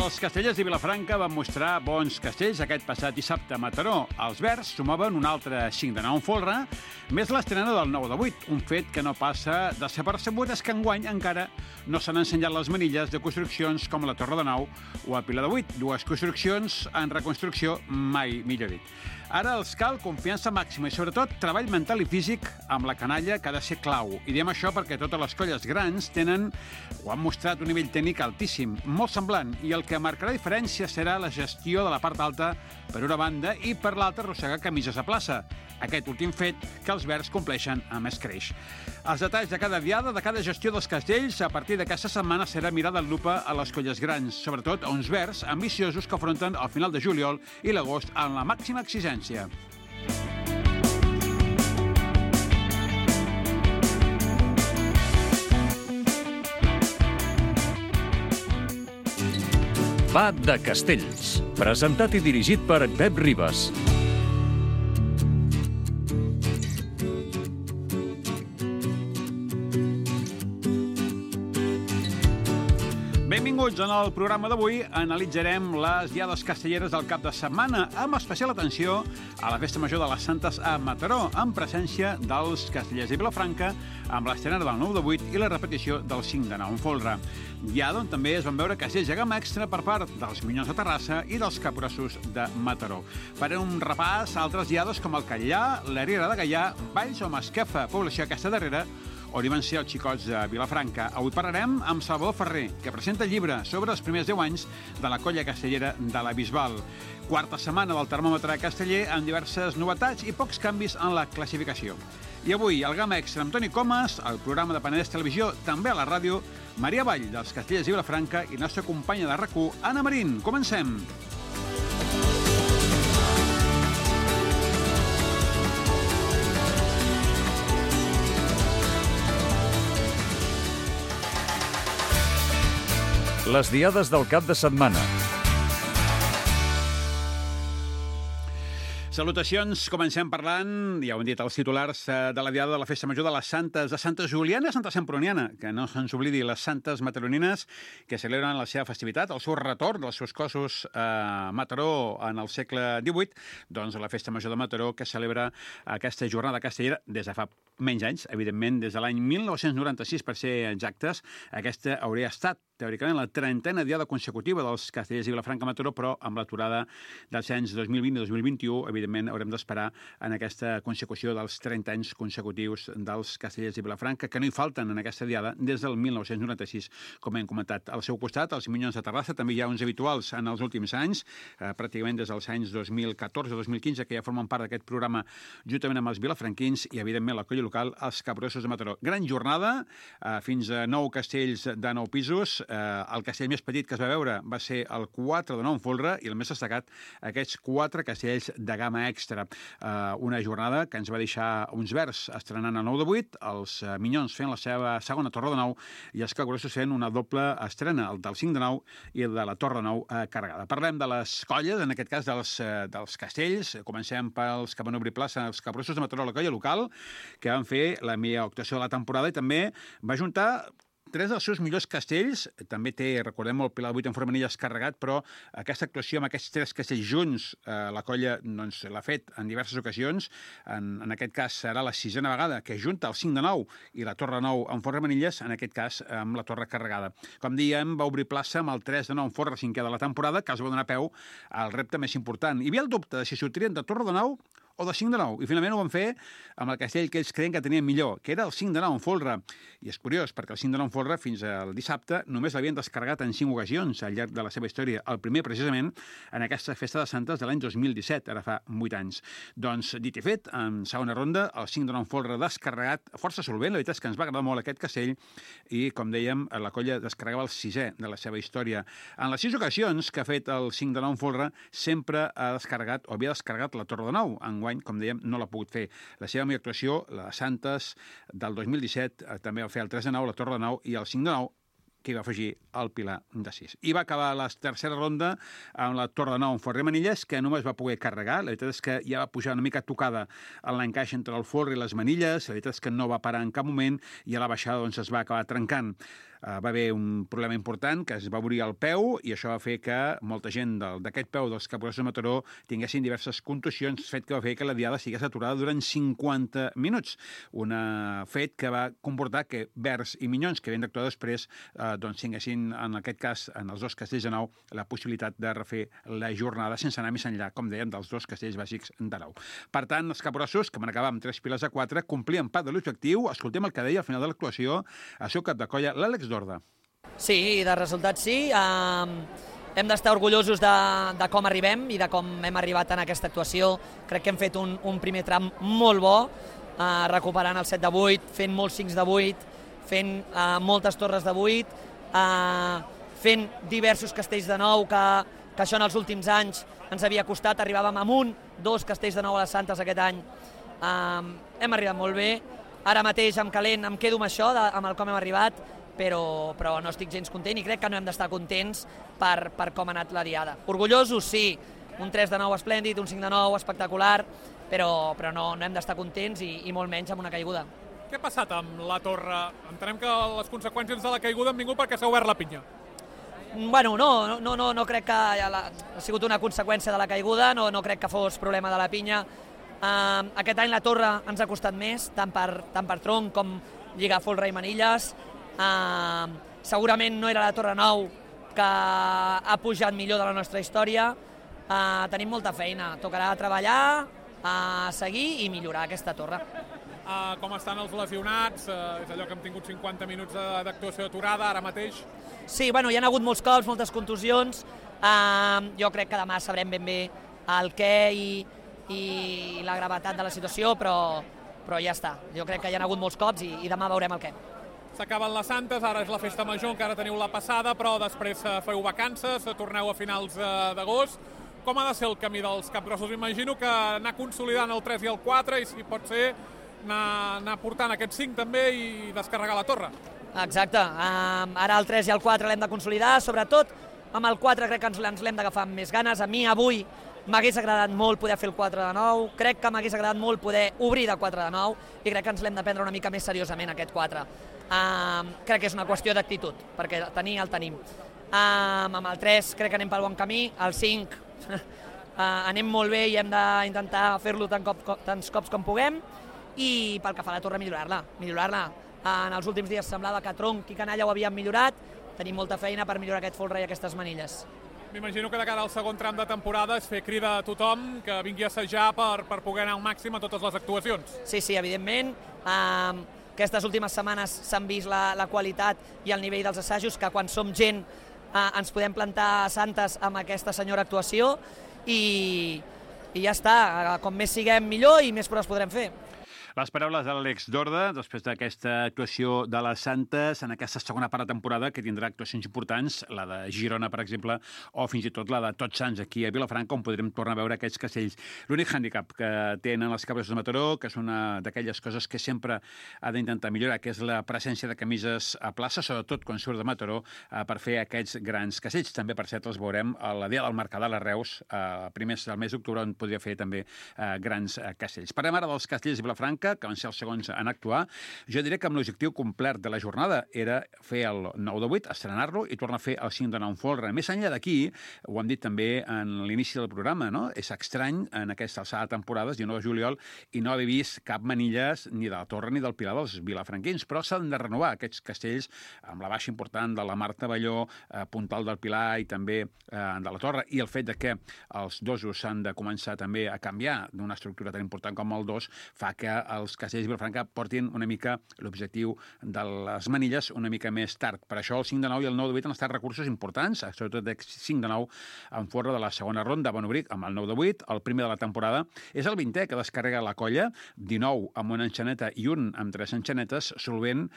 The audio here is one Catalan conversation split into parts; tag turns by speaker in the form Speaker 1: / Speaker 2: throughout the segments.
Speaker 1: Els castellers de Vilafranca van mostrar bons castells aquest passat dissabte a Mataró. Els verds sumaven un altre 5 de 9 en folre, més l'estrena del 9 de 8. Un fet que no passa desapercebut és que enguany encara no s'han ensenyat les manilles de construccions com la Torre de Nou o el Pilar de 8. Dues construccions en reconstrucció, mai millor dit. Ara els cal confiança màxima i, sobretot, treball mental i físic amb la canalla, que ha de ser clau. I diem això perquè totes les colles grans tenen o han mostrat un nivell tècnic altíssim, molt semblant, i el que marcarà diferència serà la gestió de la part alta per una banda i per l'altra arrossegar camises a plaça. Aquest últim fet que els verds compleixen amb escreix. Els detalls de cada diada, de cada gestió dels castells, a partir d'aquesta setmana serà mirada en lupa a les colles grans, sobretot a uns verds ambiciosos que afronten al final de juliol i l'agost amb la màxima exigència.
Speaker 2: Va de Castells, presentat i dirigit per Pep Ribas.
Speaker 1: Benvinguts. En el programa d'avui analitzarem les diades castelleres del cap de setmana, amb especial atenció a la Festa Major de les Santes a Mataró, amb presència dels castellers de Vilafranca, amb l'estrena del 9 de 8 i la repetició del 5 de 9 en folre. Diada on també es van veure castells de gamma extra per part dels Minyons de Terrassa i dels Capgrossos de Mataró. Farem un repàs a altres diades com el Catllà, la Riera de Gaià, Valls o Masquefa, població aquesta darrera, on hi van ser els xicots de Vilafranca. Avui parlarem amb Salvador Ferrer, que presenta el llibre sobre els primers 10 anys de la colla castellera de la Bisbal. Quarta setmana del termòmetre casteller amb diverses novetats i pocs canvis en la classificació. I avui, al Gamma Extra amb Toni Comas, el programa de Penedès Televisió, també a la ràdio, Maria Vall, dels Castellers de Vilafranca, i nostra companya de RAC1, Anna Marín. Comencem!
Speaker 2: Les diades del cap de setmana.
Speaker 1: Salutacions, comencem parlant, ja ho han dit els titulars, de la diada de la Festa Major de les Santes, de Santa Juliana i Santa Semproniana, que no se'ns oblidi les santes mataronines que celebren la seva festivitat, el seu retorn dels seus cossos a Mataró en el segle XVIII, doncs la Festa Major de Mataró que celebra aquesta jornada castellera des de fa menys anys, evidentment, des de l'any 1996, per ser exactes. Aquesta hauria estat teòricament la 30a diada consecutiva dels castellers de Vilafranca a Mataró, però amb l'aturada dels anys 2020 i 2021, evidentment, haurem d'esperar en aquesta consecució dels 30 anys consecutius dels castellers de Vilafranca, que no hi falten en aquesta diada des del 1996, com hem comentat. Al seu costat, els Minyons de Terrassa, també hi ha uns habituals en els últims anys, pràcticament des dels anys 2014-2015, que ja formen part d'aquest programa juntament amb els vilafranquins i, evidentment, la colla local, els Capgrossos de Mataró. Gran jornada, fins a 9 castells de 9 pisos. El castell més petit que es va veure va ser el 4 de 9 en folre i el més destacat, aquests 4 castells de gamma extra. Una jornada que ens va deixar uns verds estrenant el 9 de 8, els Minyons fent la seva segona Torre de 9 i els Capgrossos fent una doble estrena, el del 5 de 9 i el de la Torre de 9 carregada. Parlem de les colles, en aquest cas dels castells. Comencem pels que van obrir plaça, els Capgrossos de Mataró, la colla local, que van fer la millor actuació de la temporada i també va juntar 3 dels seus millors castells. També té, recordem, el Pilar de 8 en formanilles carregat, però aquesta actuació amb aquests 3 castells junts, la colla doncs, l'ha fet en diverses ocasions. En aquest cas serà la 6a vegada que junta el 5 de 9 i la Torre 9 en formanilles, en aquest cas amb la Torre carregada. Com diem, va obrir plaça amb el 3 de 9 en forra 5è de la temporada, que els va donar peu al repte més important. Hi havia el dubte de si sortirien de Torre de 9 o de 5 de 9, i finalment ho van fer amb el castell que ells creien que tenien millor, que era el 5 de 9 en folre. I és curiós, perquè el 5 de 9 en folre fins al dissabte només l'havien descarregat en 5 ocasions al llarg de la seva història. El primer, precisament, en aquesta Festa de Santes de l'any 2017, ara fa 8 anys. Doncs, dit i fet, en segona ronda, el 5 de 9 en folre descarregat, força solvent, la veritat és que ens va agradar molt aquest castell, i, com dèiem, la colla descarregava el 6è de la seva història. En les 6 ocasions que ha fet el 5 de 9 en folre, sempre ha descarregat, o havia descarregat la Torre de 9. Enguany, com dèiem, no l'ha pogut fer. La seva millor actuació, la de Santes del 2017, també va fer el 3 de 9, la Torre de 9 i el 5 de 9, que hi va afegir el Pilar de 6. I va acabar la tercera ronda amb la Torre de 9 en Forrer Manilles, que només va poder carregar. La veritat és que ja va pujar una mica tocada en l'encaix entre el forre i les manilles. La veritat és que no va parar en cap moment i a la baixada doncs, es va acabar trencant. va haver un problema important, que es va obrir el peu, i això va fer que molta gent d'aquest peu dels capgrossos de Mataró tinguessin diverses contusions, fet que va fer que la diada sigués aturada durant 50 minuts. Un fet que va comportar que Verds i Minyons, que havien d'actuar després, doncs tinguessin, en aquest cas, en els dos castells de nou, la possibilitat de refer la jornada sense anar més enllà, com dèiem, dels dos castells bàsics de nou. Per tant, els capgrossos, que van acabar amb 3 piles a 4, complien part de l'objectiu. Escoltem el que deia al final de l'actuació el seu cap de colla, l'Àlex Dorda.
Speaker 3: Sí, de resultats sí. Hem d'estar orgullosos de com arribem i de com hem arribat en aquesta actuació. Crec que hem fet un primer tram molt bo, recuperant el 7 de 8, fent molts 5 de 8, fent moltes torres de 8, fent diversos castells de 9, que això en els últims anys ens havia costat. Arribàvem amb 2 castells de 9 a les Santes aquest any. Hem arribat molt bé. Ara mateix, amb calent, em quedo amb això, amb el com hem arribat, però no estic gens content i crec que no hem d'estar contents per com ha anat la diada. Orgullosos, sí. Un 3 de 9 esplèndid, un 5 de 9 espectacular, però no hem d'estar contents i molt menys amb una caiguda.
Speaker 4: Què ha passat amb la torre? Entenem que les conseqüències de la caiguda han vingut perquè s'ha obert la pinya.
Speaker 3: Bueno, no crec que ha sigut una conseqüència de la caiguda, no crec que fos problema de la pinya. Aquest any la torre ens ha costat més, tant per tronc com lligar folre i manilles. Segurament no era la torre 9 que ha pujat millor de la nostra història. Tenim molta feina, tocarà treballar, seguir i millorar aquesta torre.
Speaker 4: Com estan els lesionats? És allò que hem tingut 50 minuts d'actuació aturada ara mateix.
Speaker 3: Sí, bueno, hi ha hagut molts cops, moltes contusions. Jo crec que demà sabrem ben bé el què i la gravetat de la situació, però ja està. Jo crec que hi ha hagut molts cops i demà veurem el què.
Speaker 4: S'acaben les Santes, ara és la festa major, encara teniu la passada, però després feu vacances, torneu a finals d'agost. Com ha de ser el camí dels capgrossos? Imagino que anar consolidant el 3 i el 4 i, si pot ser, anar portant aquests 5 també i descarregar la torre.
Speaker 3: Exacte. Ara el 3 i el 4 l'hem de consolidar, sobretot amb el 4 crec que ens l'hem d'agafar amb més ganes. A mi avui m'hagués agradat molt poder fer el 4 de 9, crec que m'hagués agradat molt poder obrir de 4 de 9 i crec que ens l'hem de prendre una mica més seriosament aquest 4. Crec que és una qüestió d'actitud, perquè tenir el tenim. Amb el 3 crec que anem pel bon camí, el 5 anem molt bé i hem d'intentar fer-lo tants cops com puguem, i pel que fa a la torre millorar-la. En els últims dies semblava que tronc i canalla ho havien millorat, tenim molta feina per millorar aquest folre i aquestes manilles.
Speaker 4: M'imagino que de cara al segon tram de temporada és fer crida a tothom que vingui a assajar per poder anar al màxim a totes les actuacions.
Speaker 3: Sí, evidentment. Aquestes últimes setmanes s'han vist la qualitat i el nivell dels assajos, que quan som gent ens podem plantar a Santes amb aquesta senyora actuació i ja està. Com més siguem millor i més proves podrem fer.
Speaker 1: Les paraules de l'Àlex Dorda, després d'aquesta actuació de les Santes, en aquesta segona part de temporada, que tindrà actuacions importants, la de Girona, per exemple, o fins i tot la de Tots Sants, aquí a Vilafranca, on podrem tornar a veure aquests castells. L'únic hàndicap que tenen els capgrossos de Mataró, que és una d'aquelles coses que sempre ha d'intentar millorar, que és la presència de camises a plaça, sobretot quan surt de Mataró, per fer aquests grans castells. També, per cert, els veurem a la dia del Mercadal a Reus, a primers del mes d'octubre, on podria fer també grans castells. Parlem ara dels castells de Vilafranca, que van ser els segons en actuar. Jo diré que amb l'objectiu complet de la jornada era fer el 9 de 8, estrenar-lo i tornar a fer el 5 de 9 folre. Més enllà d'aquí, ho hem dit també en l'inici del programa, no? És estrany en aquesta alçada de temporades, 19 de juliol, i no haver vist cap manilles ni de la Torre ni del Pilar dels vilafranquins, però s'han de renovar aquests castells amb la baixa important de la Marta Balló, Puntal del Pilar i també de la Torre, i el fet de que els dosos s'han de començar també a canviar d'una estructura tan important com el dos fa que els castells de Vilafranca portin una mica l'objectiu de les manilles una mica més tard. Per això el 5 de 9 i el 9 de 8 han estat recursos importants, sobretot el 5 de 9 en forra de la segona ronda. Bon obrir amb el 9 de 8, el primer de la temporada. És el 20è que descarrega la colla, 19 amb una enxaneta i un amb 3 enxanetes, solvent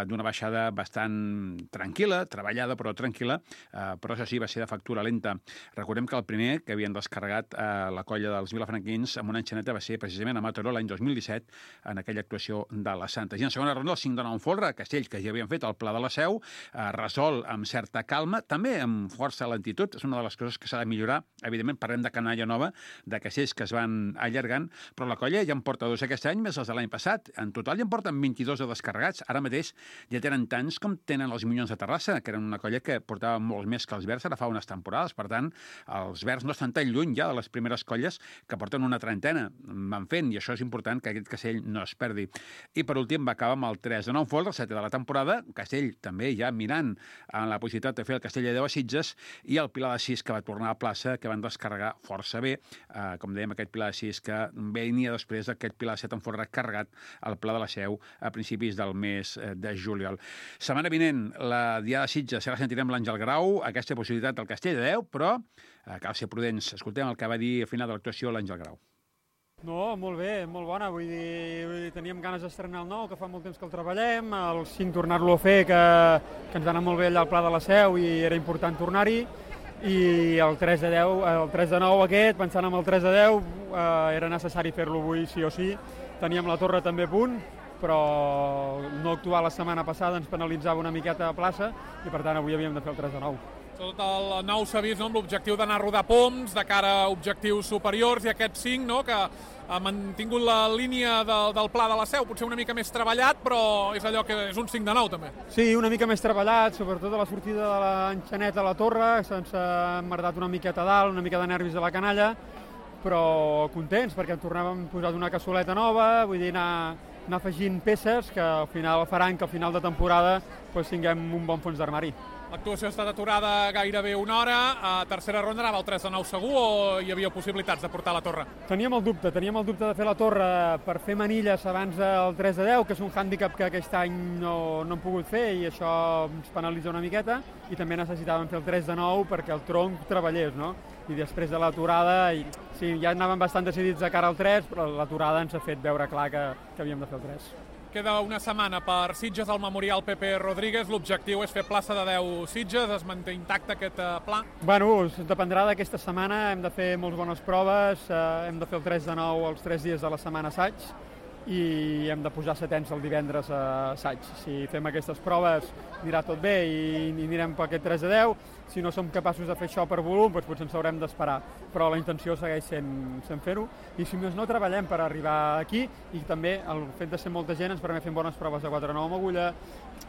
Speaker 1: d'una baixada bastant tranquil·la, treballada però tranquil·la, però això sí, va ser de factura lenta. Recordem que el primer que havien descarregat la colla dels vilafranquins amb una enxaneta va ser precisament a Mataró l'any 2017, en aquella actuació de les Santes. I en segona ronda, el 5-9 Folre, Castells, que ja havien fet el Pla de la Seu, resol amb certa calma, també amb força lentitud, és una de les coses que s'ha de millorar. Evidentment, parlem de canalla nova, de castells que es van allargant, però la colla ja en porta 2 aquest any, més els de l'any passat. En total ja en porten 22 de descarregats. Ara mateix ja tenen tants com tenen els Minyons de Terrassa, que eren una colla que portava molts més que els Verds ara fa unes temporades. Per tant, els Verds no estan tan lluny ja de les primeres colles que porten una trentena. Van fent, i això és important, que aquest Castell no es perdi. I per últim va acabar amb el 3-9 Folre, el 7 de la temporada. Castell també ja mirant en la possibilitat de fer el Castell de 10 a Sitges, i el Pilar de 6 que va tornar a plaça, que van descarregar força bé. Com dèiem, aquest Pilar de 6 que venia després d'aquest Pilar de 7 en Folre carregat al Pla de la Seu a principis del mes de juliol. Setmana vinent, la Diada de Sitges, ara sentirem l'Àngel Grau, aquesta possibilitat del Castell de 10, però cal ser prudents. Escoltem el que va dir al final de l'actuació l'Àngel Grau.
Speaker 5: No, molt bé, molt bona. Vull dir, teníem ganes d'estrenar el 9, que fa molt temps que el treballem, el 5 tornar-lo a fer, que ens va anar molt bé allà al Pla de la Seu i era important tornar-hi, i el 3 de 10, el 3 de 9 aquest, pensant en el 3 de 10, era necessari fer-lo avui sí o sí. Teníem la torre també a punt, però no actuar la setmana passada ens penalitzava una miqueta a plaça i per tant avui havíem de fer el 3 de 9.
Speaker 4: Tot el 9 s'ha vist, no?, amb l'objectiu d'anar a rodar poms de cara a objectius superiors, i aquest 5, no?, que ha mantingut la línia del Pla de la Seu, potser una mica més treballat, però és allò que és un 5 de 9 també.
Speaker 5: Sí, una mica més treballat, sobretot a la sortida de l'enxanet a la torre, se'ns ha emmerdat una miqueta a dalt, una mica de nervis a la canalla, però contents perquè en tornàvem posat una cassoleta nova, vull dir, anar afegint peces que al final faran que al final de temporada tinguem un bon fons d'armari.
Speaker 4: L'actuació ha estat aturada gairebé una hora. A tercera ronda anava el 3 de 9 segur o hi havia possibilitats de portar la torre?
Speaker 5: Teníem el dubte de fer la torre per fer manilles abans del 3 de 10, que és un hàndicap que aquest any no hem pogut fer i això ens penalitza una miqueta, i també necessitàvem fer el 3 de 9 perquè el tronc treballés, no? I després de l'aturada, sí, ja anàvem bastant decidits de cara al 3, però l'aturada ens ha fet veure clar que havíem de fer el 3.
Speaker 4: Queda una setmana per Sitges al Memorial Pepe Rodríguez. L'objectiu és fer plaça de 10 Sitges. Es manté intacte aquest pla?
Speaker 5: Bueno, dependrà d'aquesta setmana. Hem de fer molt bones proves. Hem de fer el 3 de 9 els 3 dies de la setmana assaig i hem de posar setens el divendres a assaig. Si fem aquestes proves anirà tot bé i anirem per aquest 3 de 10. Si no som capaços de fer això per volum, doncs potser ens haurem d'esperar. Però la intenció segueix sent fer-ho. I si més no, treballem per arribar aquí, i també el fet de ser molta gent ens permet fer bones proves de 4 de 9 amb agulla,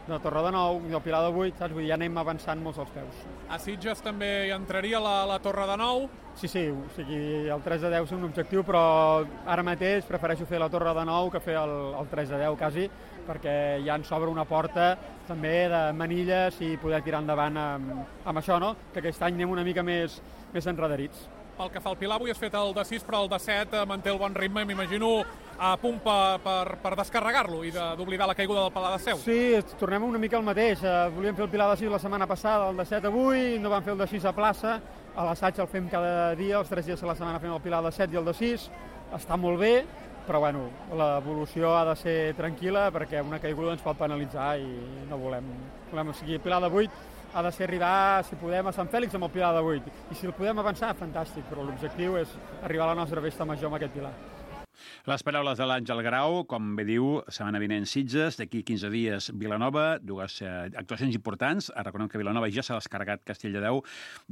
Speaker 5: de torre de 9, del pilar de 8, saps? Vull dir, ja anem avançant molts als peus.
Speaker 4: A Sitges també hi entraria la torre de 9?
Speaker 5: Sí, o sigui, el 3 de 10 és un objectiu, però ara mateix prefereixo fer la torre de 9 que fer el 3 de 10 quasi, perquè ja ens s'obre una porta també de manilles i poder tirar endavant amb això, no? Que aquest any anem una mica més enredarits.
Speaker 4: Pel que fa al Pilar, avui has fet el de 6, però el de 7 manté el bon ritme, m'imagino a punt per descarregar-lo i d'oblidar la caiguda del Pilar de Seu.
Speaker 5: Sí, tornem una mica al mateix. Volíem fer el Pilar de 6 la setmana passada, el de 7 avui, no vam fer el de 6 a plaça, a l'assaig el fem cada dia, els 3 dies de la setmana fem el Pilar de 7 i el de 6, està molt bé, però bueno, l'evolució ha de ser tranquil·la perquè una caiguda ens pot penalitzar i no volem. O sigui, el Pilar de 8 ha de ser arribar, si podem, a Sant Fèlix amb el Pilar de 8. I si el podem avançar, fantàstic, però l'objectiu és arribar a la nostra festa major amb aquest Pilar.
Speaker 1: Les paraules de l'Àngel Grau, com bé diu, setmana vinent Sitges, d'aquí 15 dies Vilanova, dues actuacions importants. Recordem que Vilanova ja s'ha descarregat Castell de 10.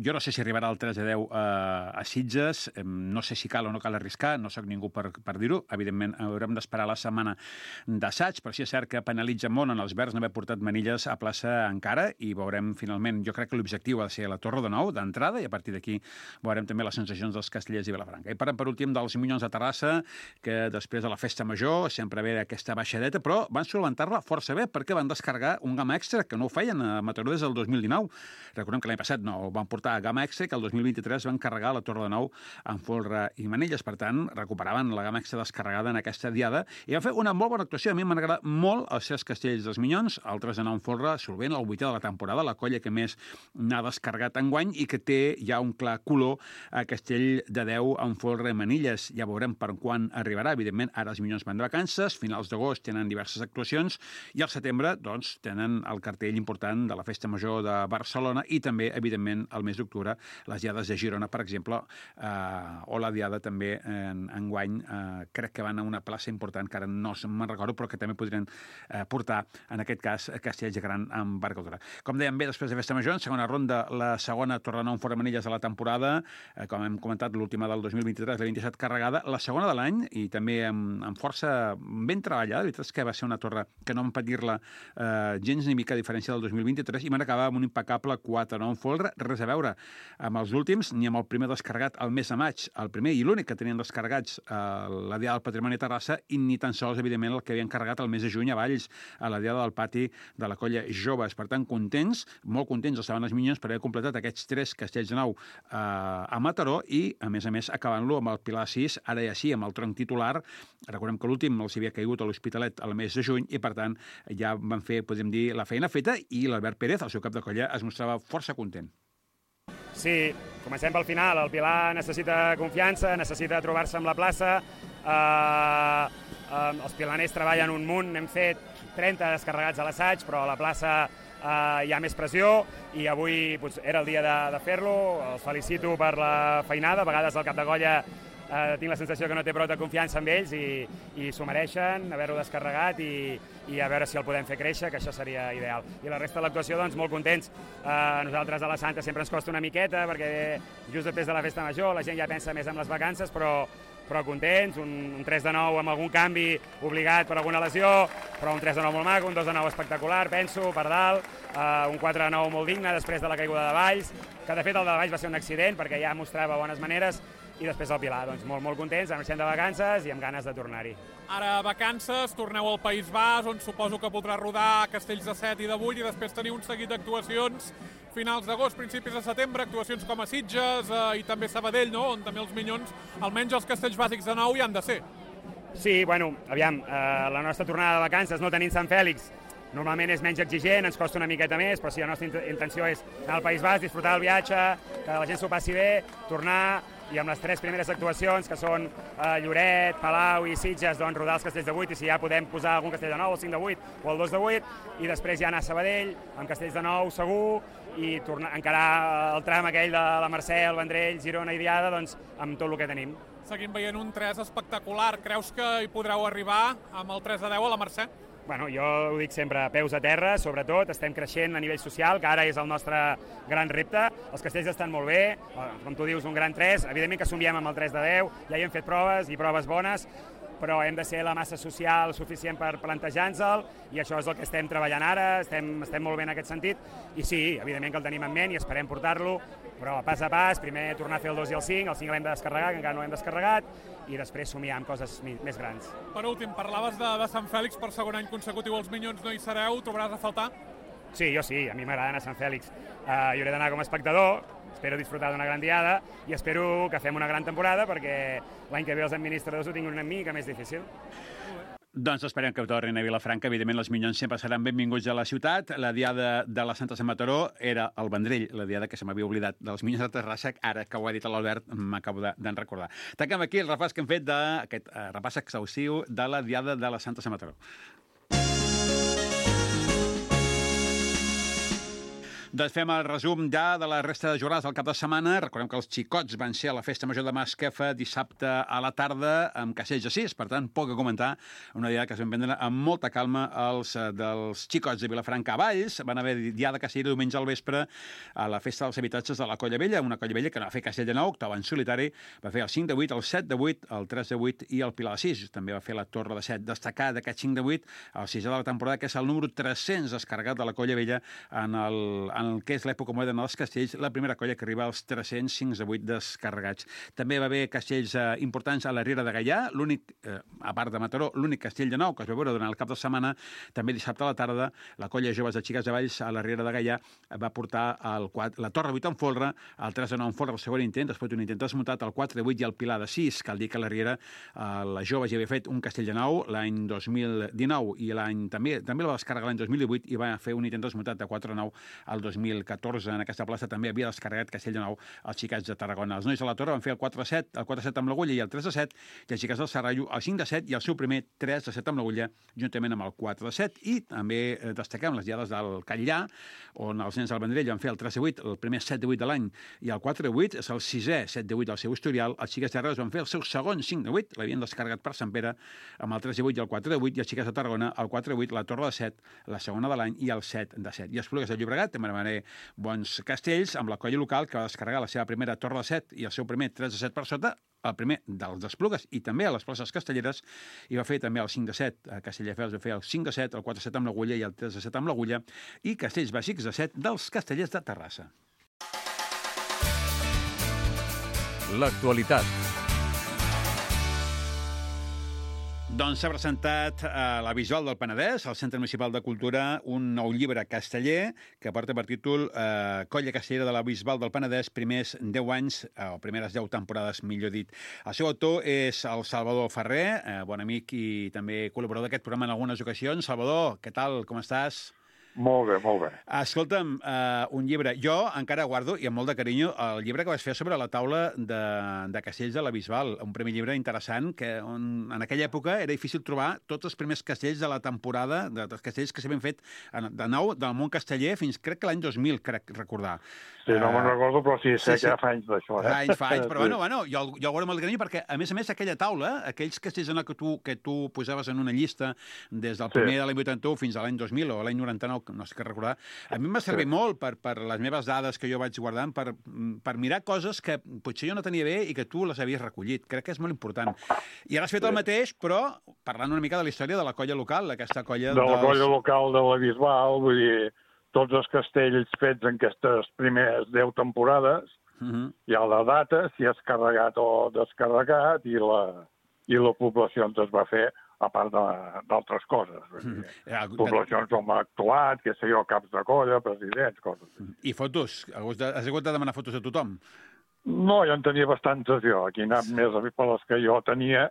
Speaker 1: Jo no sé si arribarà el 3 de 10 a Sitges, no sé si cal o no cal arriscar, no sóc ningú per dir-ho. Evidentment, haurem d'esperar la setmana d'assaig, però sí és cert que penalitza molt en els Verds no haver portat manilles a plaça encara, i veurem finalment, jo crec que l'objectiu ha de ser la Torre de 9 d'entrada, i a partir d'aquí veurem també les sensacions dels castellers i Vilafranca. I parlem per últim dels Minyons de Terrassa, que després de la festa major sempre ve aquesta baixadeta, però van solventar-la força bé perquè van descarregar un gamma extra que no ho feien a Mataró des del 2019. Recordem que l'any passat no van portar gamma extra, que el 2023 van carregar la Torre de 9 amb folre i manilles. Per tant, recuperaven la gamma extra descarregada en aquesta diada i van fer una molt bona actuació. A mi m'han agradat molt els 6 castells dels Minyons, el 3 de 9 amb folre, solvent el 8è de la temporada, la colla que més n'ha descarregat enguany i que té ja un clar color a castell de 10 amb folre i manilles. Ja veurem per quan arribarà. parar. Evidentment, ara els Minyons van de vacances, finals d'agost tenen diverses actuacions i al setembre, doncs, tenen el cartell important de la Festa Major de Barcelona i també, evidentment, al mes d'octubre, les diades de Girona, per exemple, o la diada també enguany, crec que van a una plaça important, que ara no me'n recordo, però que també podrien portar, en aquest cas, Castells de Gran Embarcadora. Com dèiem bé, després de Festa Major, en segona ronda, la segona Torrenou en Fora Manilles de la temporada, com hem comentat, l'última del 2023, la 27 carregada, la segona de l'any, i també amb força ben treballada. La veritat és que va ser una torre que no vam patir-la gens ni mica a diferència del 2023, i van acabar amb un impecable 4-9 en folre, res a veure amb els últims, ni amb el primer descarregat al mes de maig, el primer i l'únic que tenien descarregats la Diada del Patrimoni a Terrassa, i ni tan sols, evidentment, el que havien carregat el mes de juny a Valls, a la Diada del Pati de la Colla Joves. Per tant, contents, molt contents estaven els Minyons per haver completat aquests 3 castells de nau a Mataró i, a més, acabant-lo amb el Pilar 6, ara ja sí, amb el tronc titular. Recordem que l'últim els havia caigut a l'Hospitalet al mes de juny i, per tant, ja van fer, podem dir, la feina feta, i l'Albert Pérez, el seu cap de colla, es mostrava força content.
Speaker 6: Sí, comencem pel final. El Pilar necessita confiança, necessita trobar-se amb la plaça. Els pilaners treballen un munt, hem fet 30 descarregats a l'assaig, però a la plaça hi ha més pressió i avui era el dia de fer-lo. Els felicito per la feinada. A vegades el cap de colla tinc la sensació que no té prou de confiança en ells i s'ho mereixen, haver-ho descarregat i a veure si el podem fer créixer, que això seria ideal. I la resta de l'actuació, doncs, molt contents. Nosaltres a la Santa sempre ens costa una miqueta perquè just després de la Festa Major la gent ja pensa més en les vacances, però contents, un 3-9 amb algun canvi obligat per alguna lesió, però un 3-9 molt maco, un 2-9 espectacular, penso, per dalt, un 4-9 molt digne després de la caiguda de Valls, que de fet el de Valls va ser un accident perquè ja mostrava bones maneres, i després el Pilar, doncs molt contents, marxem de vacances i amb ganes de tornar-hi.
Speaker 4: Ara vacances, torneu al País Basc, on suposo que podrà rodar Castells de 7 i de 8 i després tenir un seguit d'actuacions finals d'agost, principis de setembre, actuacions com a Sitges i també Sabadell, no? On també els Minyons, almenys els castells bàsics de nou, hi han de ser.
Speaker 6: Sí, bueno, aviam, la nostra tornada de vacances no tenint Sant Fèlix normalment és menys exigent, ens costa una miqueta més, però sí, la nostra intenció és anar al País Basc, disfrutar del viatge, que la gent s'ho passi bé, tornar, i amb les 3 primeres actuacions, que són Lloret, Palau i Sitges, doncs rodar els castells de 8, i si ja podem posar algun castell de 9, el 5 de 8 o el 2 de 8, i després ja anar a Sabadell, amb castells de 9 segur, i encarar el tram aquell de la Mercè, el Vendrell, Girona i Diada, doncs amb tot el que tenim.
Speaker 4: Seguim veient un 3 espectacular. Creus que hi podreu arribar amb el 3 de 10 a la Mercè?
Speaker 6: Bueno, jo ho dic sempre, peus a terra, sobretot, estem creixent a nivell social, que ara és el nostre gran repte. Els castells estan molt bé, com tu dius, un gran 3, evidentment que somiem amb el 3 de 10, ja hi hem fet proves i proves bones, però hem de ser la massa social suficient per plantejar-nos-el, i això és el que estem treballant ara, estem molt bé en aquest sentit, i sí, evidentment que el tenim en ment i esperem portar-lo, però pas a pas, primer tornar a fer el 2 i el 5 l'hem de descarregar, que encara no l'hem descarregat, i després somiar amb coses més grans.
Speaker 4: Per últim, parlaves de Sant Fèlix, per segon any consecutiu els Minyons no hi sereu, trobaràs a faltar?
Speaker 6: Sí, jo sí, a mi m'agrada anar a Sant Fèlix. Jo hauré d'anar com a espectador, espero disfrutar d'una gran diada i espero que fem una gran temporada perquè l'any que ve els administradors ho tinguin una mica més difícil.
Speaker 1: Doncs esperem que tornin a Vilafranca. Evidentment, els Minyons sempre seran benvinguts a la ciutat. La diada de la Santa Sant Mataró era el Vendrell, la diada que se m'havia oblidat dels Minyons de Terrassa. Ara que ho ha dit l'Albert, m'acabo d'en recordar. Tanquem aquí el repàs que hem fet d'aquest repàs exhaustiu de la diada de la Santa Sant Mataró. Doncs fem el resum ja de la resta de jornades del cap de setmana. Recordem que els xicots van ser a la Festa Major de Masquefa dissabte a la tarda amb castells de 6, per tant, poc a comentar. Una diada que es van prendre amb molta calma els dels xicots de Vilafranca a Valls. Van haver diada castellera diumenge al vespre a la Festa dels Habitatges de la Colla Vella, una Colla Vella que no va fer castell de 9, octava en solitari, va fer el 5 de 8, el 7 de 8, el 3 de 8 i el Pilar de 6. També va fer la Torre de 7. Destacar d'aquest 5 de 8, el 6 de la temporada, que és el número 300 descarregat de la Colla Vella en el que és l'època moderna dels castells, la primera colla que arriba als 305 de 8 descarregats. També va haver castells importants a la Riera de Gaià, l'únic, a part de Mataró, l'únic castell de 9 que es va veure durant el cap de setmana. També dissabte a la tarda, la colla Joves de Xiques de Valls a la Riera de Gaià va portar la Torre 8 en folre, el 3 de 9 en folre, el segon intent, després d'un intent desmuntat, el 4 de 8 i el Pilar de 6. Cal dir que a la Riera la Joves ja havia fet un castell de 9 l'any 2019 i també el va descarregar l'any 2018 i va fer un intent desmuntat de 4 de 9 al 2014 en aquesta plaça també havia descarregat Castellnou els xicats de Tarragona. Els nois de la Torre van fer el 4-7, el 4-7 amb l'Agulla i el 3-7, i els xicats del Serrallo el 5-7 i el seu primer 3-7 amb l'Agulla, juntament amb el 4-7. I també destaquem les diades del Catllà, on els nens del Vendrell van fer el 3-8, el primer 7-8 de l'any, i el 4-8 és el 6è 7-8 del seu historial. Els xiquets de Reus van fer el seu segon 5-8, l'havien descarregat per Sant Pere, amb el 3-8 i el 4-8, i els xiquets de Tarragona el 4-8, la Torre de 7, la segona de l'any, i el 7-7. I Esplugues de Llobregat també van haver bons castells, amb la colla local, que va descarregar la seva primera Torre de 7 i el seu primer 3-7 per sota, el primer dels Esplugues i també a les places castelleres, i va fer també el 5-7. A Castelldefels va fer el 5-7, el 4-7 amb l'Agulla i el 3-7 amb l'Agulla, i castells bàsics de 7 dels Castellers de Terrassa.
Speaker 2: L'actualitat.
Speaker 1: Doncs s'ha presentat a la Bisbal del Penedès, al Centre Municipal de Cultura, un nou llibre casteller que porta per títol Colla Castellera de la Bisbal del Penedès, primers 10 anys, o primeres 10 temporades, millor dit. El seu autor és el Salvador Ferrer, bon amic i també col·laborador d'aquest programa en algunes ocasions. Salvador, què tal? Com estàs?
Speaker 7: Molt bé, molt bé.
Speaker 1: Escolta'm, un llibre. Jo encara guardo, i amb molt de carinyo, el llibre que vas fer sobre la taula de castells de la Bisbal. Un primer llibre interessant, que en aquella època era difícil trobar tots els primers castells de la temporada, dels castells que s'havien fet de nou del món casteller fins, crec que l'any 2000, crec recordar.
Speaker 7: Sí, no me'n recordo, però sí, sé que fa anys d'això.
Speaker 1: Fa anys, però bueno, jo el guardo amb el carinyo perquè, a més, aquella taula, aquells castells que tu posaves en una llista des del primer de l'any 81 fins a l'any 2000 o l'any 99, no sé què recordar, a mi em va servir molt per les meves dades que jo vaig guardant, per mirar coses que potser jo no tenia bé i que tu les havies recollit. Crec que és molt important. I ara has fet el mateix, però parlant una mica de la història de la colla local, d'aquesta colla...
Speaker 7: De la colla local de la Bisbal, vull dir, tots els castells fets en aquestes primeres 10 temporades, hi ha la data, si és carregat o descarregat, i la població es va fer, a part d'altres coses. Poblacions on ha actuat, què sé jo, caps de colla, presidents, coses.
Speaker 1: I fotos? Has hagut de demanar fotos a tothom?
Speaker 7: No, jo en tenia bastantes jo. Aquí he anat més per les que jo tenia,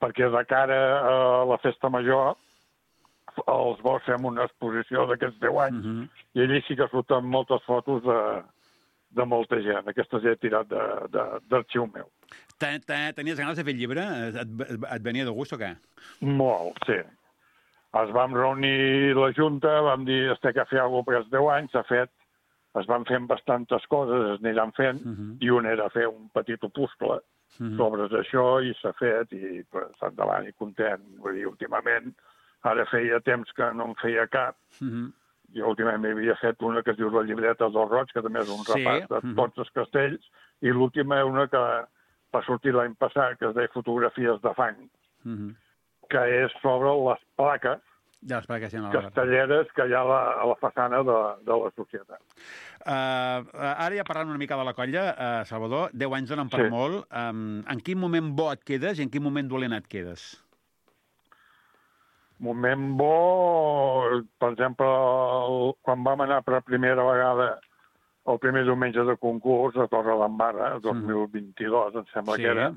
Speaker 7: perquè de cara a la festa major els vols fer una exposició d'aquests 10 anys, i allí sí que surten moltes fotos de molta gent. Aquestes he tirat d'arxiu meu.
Speaker 1: Tenies ganes de fer el llibre? Et venia de gust o què?
Speaker 7: Molt, sí. Es vam reunir la Junta, vam dir que fer alguna cosa per aquests 10 anys, s'ha fet, es van fent bastantes coses, es aniran fent, i un era fer un petit opuscle sobre això, i s'ha fet, i endavant, i content. Vull dir, últimament, ara feia temps que no en feia cap. Jo últimament m'havia fet una que es diu La llibreta del Roig, que també és un repàs de tots els castells, i l'última és una que va sortir l'any passat, que es deia Fotografies de fang, que és sobre les plaques castelleres que hi ha a la façana de la societat.
Speaker 1: Ara ja parlant una mica de la colla, Salvador, 10 anys donen per molt. En quin moment bo et quedes i en quin moment dolent et quedes?
Speaker 7: Moment bo, per exemple, quan vam anar per primera vegada el primer diumenge de concurs a Torre d'Embarra, el 2022, em sembla que era,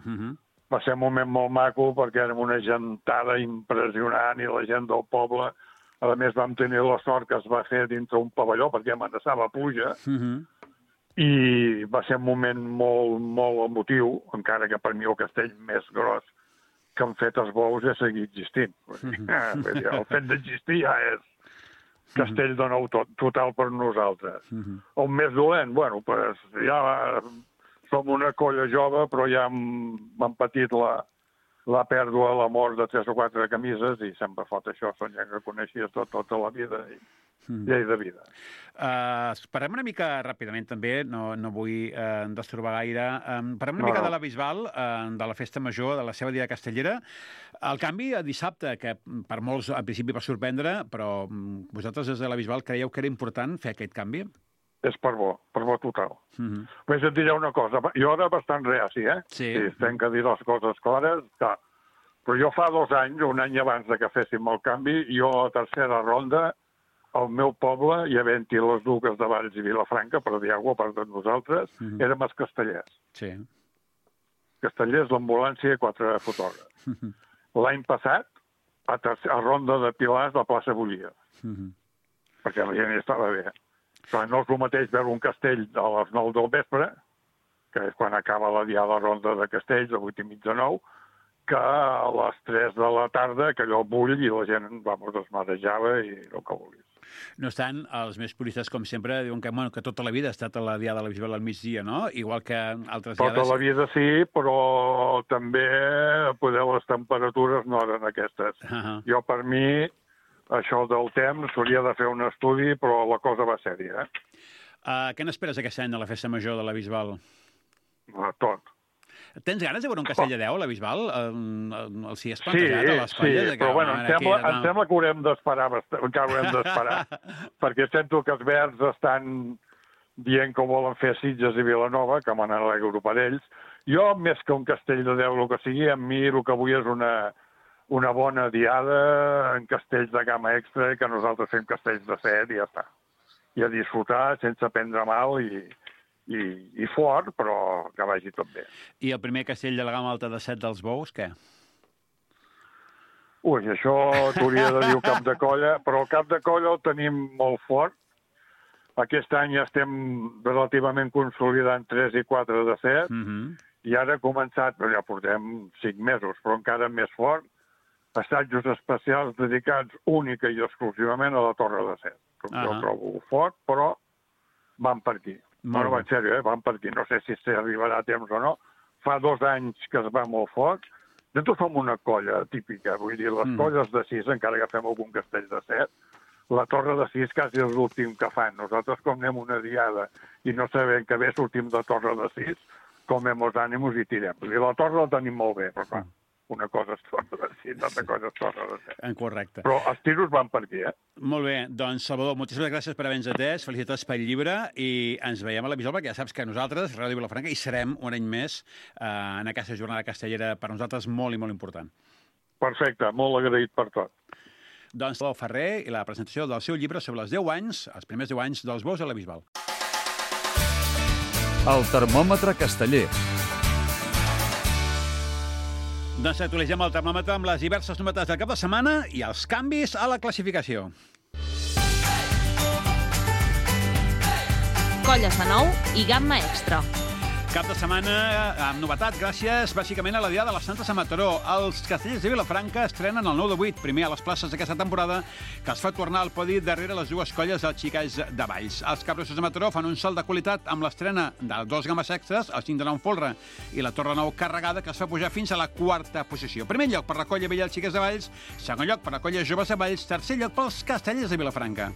Speaker 7: va ser un moment molt maco perquè érem una gentada impressionant i la gent del poble, a més vam tenir la sort que es va fer dintre un pavelló perquè amenaçava pluja, i va ser un moment molt, molt emotiu, encara que per mi el castell més gros que han fet els bous és seguir existint. El fet d'existir ja és castell de nou total per nosaltres. El més dolent, bueno, ja som una colla jove, però ja hem patit la pèrdua, la mort de 3 o 4 camises, i sempre fot això, són gent que coneixies tota la vida, i llei de vida.
Speaker 1: Parlem una mica ràpidament també, no vull destrobar gaire, parlem una mica de la Bisbal, de la festa major, de la seva dia castellera. El canvi a dissabte, que per molts al principi va sorprendre, però vosaltres des de la Bisbal creieu que era important fer aquest canvi?
Speaker 7: És per bo total. Vaig a dir una cosa, jo era bastant reaci,
Speaker 1: Sí.
Speaker 7: Tenc que dir les coses clares, però jo fa 2 anys, un any abans que féssim el canvi, jo a tercera ronda, al meu poble, i havent-hi les duques de Valls i Vilafranca, per dir alguna cosa per tots nosaltres, érem els castellers.
Speaker 1: Sí.
Speaker 7: Castellers, l'ambulància i 4 fotògrafs. L'any passat, a ronda de Pilars, la plaça bullia. Perquè la gent estava bé. No és el mateix veure un castell a les 9 del vespre, que és quan acaba la diada ronda de castells, a 8:30 de 9, que a les 3 de la tarda, que allò bull i la gent, es marejava i el que vulguis.
Speaker 1: No obstant, els més puristes, com sempre, diuen que tota la vida ha estat a la diada de la Bisbal al migdia, no? Igual que altres diades...
Speaker 7: Tota la vida sí, però també les temperatures no eren aquestes. Jo, per mi, això del temps, s'hauria de fer un estudi, però la cosa va sèria.
Speaker 1: Què n'esperes aquest any de la festa major de la Bisbal?
Speaker 7: Tot.
Speaker 1: Tens ganes de veure un castell de 10 a la Bisbal? Si has plantejat a les colles?
Speaker 7: Sí, però em sembla que haurem d'esperar, perquè sento que els verds estan dient que volen fer Sitges i Vilanova, que me n'alegro per ells. Jo, més que un castell de 10, el que sigui, a mi el que vull és una bona diada en castells de gamma extra i que nosaltres fem castells de 7 i ja està. I a disfrutar sense prendre mal i fort, però que vagi tot bé.
Speaker 1: I el primer castell de la gamma alta de 7 dels Bous, què?
Speaker 7: Ui, això t'hauria de dir el cap de colla, però el cap de colla el tenim molt fort. Aquest any ja estem relativament consolidant 3 i 4 de 7, i ara ha començat, ja portem 5 mesos, però encara més fort, assajos especials dedicats única i exclusivament a la Torre de 7. Jo el trobo fort, però van per aquí. Bueno, en sèrio, van per aquí. No sé si s'arribarà a temps o no. Fa 2 anys que es va molt fort. Nosaltres som una colla típica, vull dir, les colles de 6, encara que fem algun castell de 7, la Torre de 6 quasi és l'últim que fan. Nosaltres, com anem una diada i no sabem que bé sortim de Torre de 6, comem els ànims i tirem. Vull dir, la Torre la tenim molt bé, però clar, una cosa és Torre de 6, altra cosa és Torre de 7.
Speaker 1: Correcte.
Speaker 7: Però els tiros van per aquí,
Speaker 1: Molt bé, doncs, Salvador, moltíssimes gràcies per haver-nos atès, felicitats pel llibre, i ens veiem a la Bisbal, perquè ja saps que nosaltres, Ràdio Vilafranca, hi serem un any més en aquesta jornada castellera, per nosaltres molt i molt important.
Speaker 7: Perfecte, molt agraït per tot.
Speaker 1: Doncs Salvador Ferrer i la presentació del seu llibre sobre els 10 anys, els primers 10 anys dels Bous a la Bisbal.
Speaker 2: El termòmetre casteller.
Speaker 1: Doncs actualitzem el termòmetre amb les diverses novetats del cap de setmana i els canvis a la classificació.
Speaker 8: Colles de 9 i gamma extra.
Speaker 1: Cap de setmana amb novetat, gràcies bàsicament a la Diada de les Santes a Mataró. Els castellers de Vilafranca estrenen el 9 de 8, primer a les places d'aquesta temporada, que es fa tornar al podi darrere les dues colles dels Xicalls de Valls. Els Capgrossos de Mataró fan un salt de qualitat amb l'estrena de 2 gammes extras, el 5 de 9 folre i la Torre 9 carregada, que es fa pujar fins a la 4a posició. Primer lloc per la colla vella dels Xiques de Valls, segon lloc per la colla joves de Valls, tercer lloc pels castellers de Vilafranca.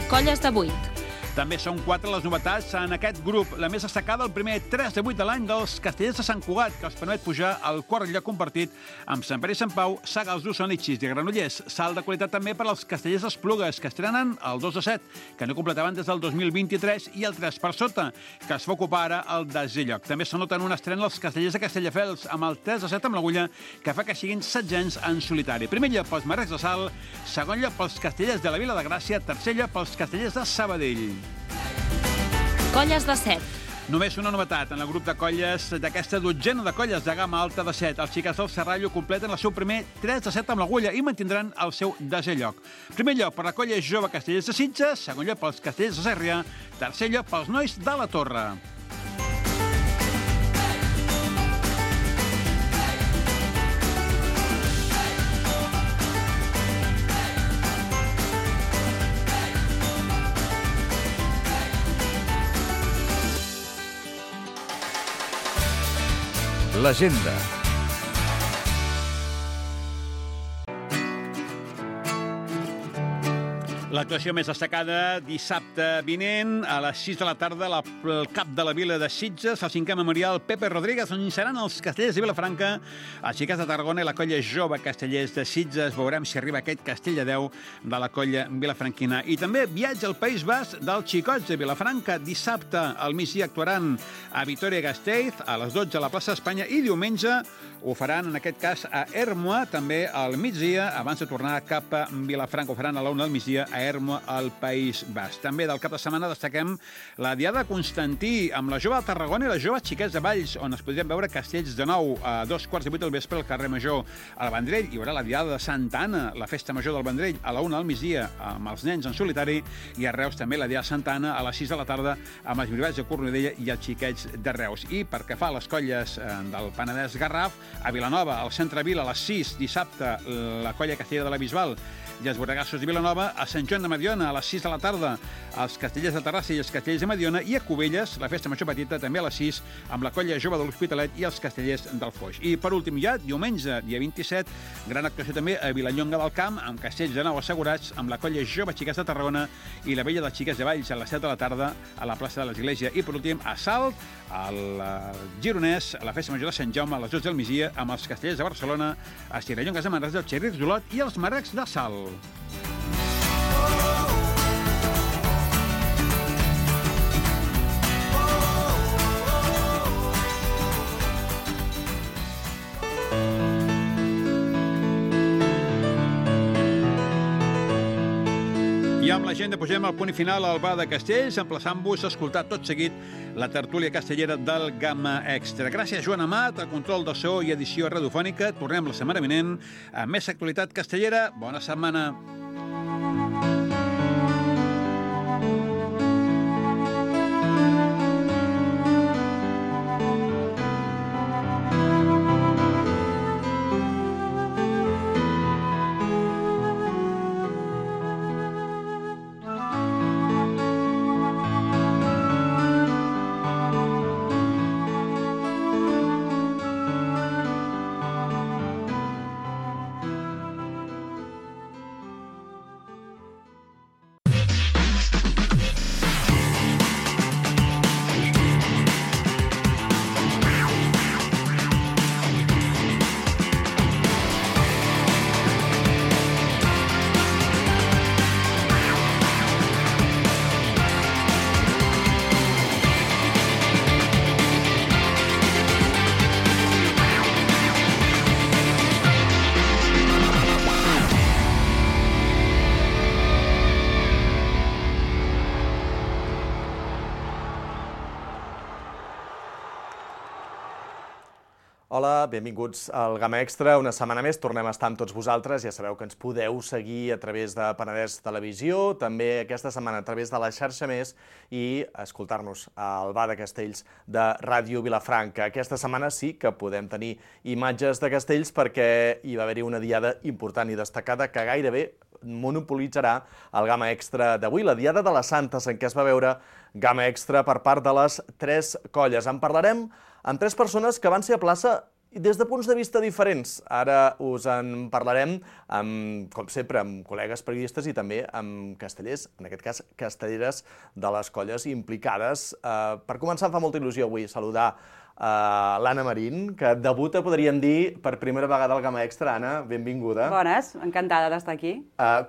Speaker 8: Colles de 8.
Speaker 1: També són 4 les novetats en aquest grup. La més destacada, el primer 3 de 8 de l'any dels castellers de Sant Cugat, que els permet pujar al quart lloc compartit amb Sant Pere i Sant Pau, Sagals d'Osona i Xis de Granollers. Salt de qualitat també per als castellers d'Esplugues, que estrenen el 2 de 7, que no completaven des del 2023, i el 3 per sota, que es va ocupar ara el 10è lloc. També s'anoten una estrena els castellers de Castelldefels, amb el 3 de 7 amb l'agulla, que fa que siguin setzents en solitari. Primer lloc pels Marrecs de Salt, segon lloc pels castellers de la Vila de Gràcia, tercer lloc pels castellers de Sabadell.
Speaker 8: Colles de 7.
Speaker 1: Només una novetat en el grup de colles d'aquesta dotzena de colles de gamma alta de 7. Els Xiques del Serrallo completen el seu primer 3 de 7 amb l'agulla i mantindran el seu 10è lloc. Primer lloc per la colla jove Castellers de Sitges, segon lloc pels Castellers de Sèrria, tercer lloc pels nois de la Torre.
Speaker 2: L'agenda.
Speaker 1: L'actuació més destacada dissabte vinent a les 6 de la tarda al cap de la vila de Sitges, al 5è memorial Pepe Rodríguez, on hi seran els castellers de Vilafranca, els Xiques de Tarragona i la colla jove castellers de Sitges. Veurem si arriba aquest castell de 10 de la colla vilafranquina. I també viatge al País Basc dels Xicots de Vilafranca. Dissabte al migdia actuaran a Vitoria-Gasteiz, a les 12 a la plaça d'Espanya, i diumenge ho faran, en aquest cas, a Ermua, també al migdia, abans de tornar cap a Vilafranca. Ho faran a la 1 del migdia a Ermua, al País Basc. També del cap de setmana destaquem la Diada de Constantí, amb la Jove de Tarragona i les Joves Xiquets de Valls, on es podrien veure castells de nou a 2:15 del vespre al carrer Major. Al Vendrell hi haurà la Diada de Santa Anna, la festa major del Vendrell, a la 1 del migdia, amb els nens en solitari, i a Reus també la Diada de Santa Anna a les 6 de la tarda, amb els brivats de Cornudella i els xiquets de Reus. I per què fa a les colles del Penedès Garraf, a Vilanova, al centre Vila, a les 6, dissabte, la colla Castellera de la Bisbal i els Borregassos de Vilanova, a Sant Joan de Mediona, a les 6 de la tarda, els Castellers de Terrassa i els Castellers de Mediona, i a Cubelles, la festa major petita, també a les 6, amb la colla jove de l'Hospitalet i els Castellers del Foix. I per últim ja, diumenge, dia 27, gran actuació també a Vilallonga del Camp, amb castells de nou assegurats, amb la colla jove Xiques de Tarragona i la vella dels Xiques de Valls, a les 7 de la tarda, a la plaça de l'Església. I per últim, a Salt, al Gironès, a la festa major de Sant Jaume, a les 12 del migdia, amb els Castellers de Barcelona, a Cirellongues de Manresa, els Xerrics d'Olot i els Marrecs de Salt. I amb l'agenda posem el punt final al Bar de Castells, emplaçant-vos a escoltar tot seguit la tertúlia castellera del Gamma Extra. Gràcies, Joan Amat, al control de so i edició radiofònica. Tornem la setmana vinent amb més actualitat castellera. Bona setmana.
Speaker 9: Hola, benvinguts al Gamma Extra. Una setmana més tornem a estar amb tots vosaltres. Ja sabeu que ens podeu seguir a través de Penedès Televisió, també aquesta setmana a través de la xarxa Més i escoltar-nos al Bar de Castells de Ràdio Vilafranca. Aquesta setmana sí que podem tenir imatges de castells perquè hi va haver-hi una diada important i destacada que gairebé monopolitzarà el Gamma Extra d'avui, la Diada de les Santes, en què es va veure Gamma Extra per part de les 3 colles. En parlarem amb 3 persones que van ser a plaça des de punts de vista diferents. Ara us en parlarem, com sempre, amb col·legues periodistes i també amb castellers, en aquest cas castelleres de les colles implicades. Per començar, em fa molta il·lusió avui saludar l'Anna Marín, que debuta, podríem dir, per primera vegada al Gamma Extra. Anna, benvinguda.
Speaker 10: Bones, encantada d'estar aquí.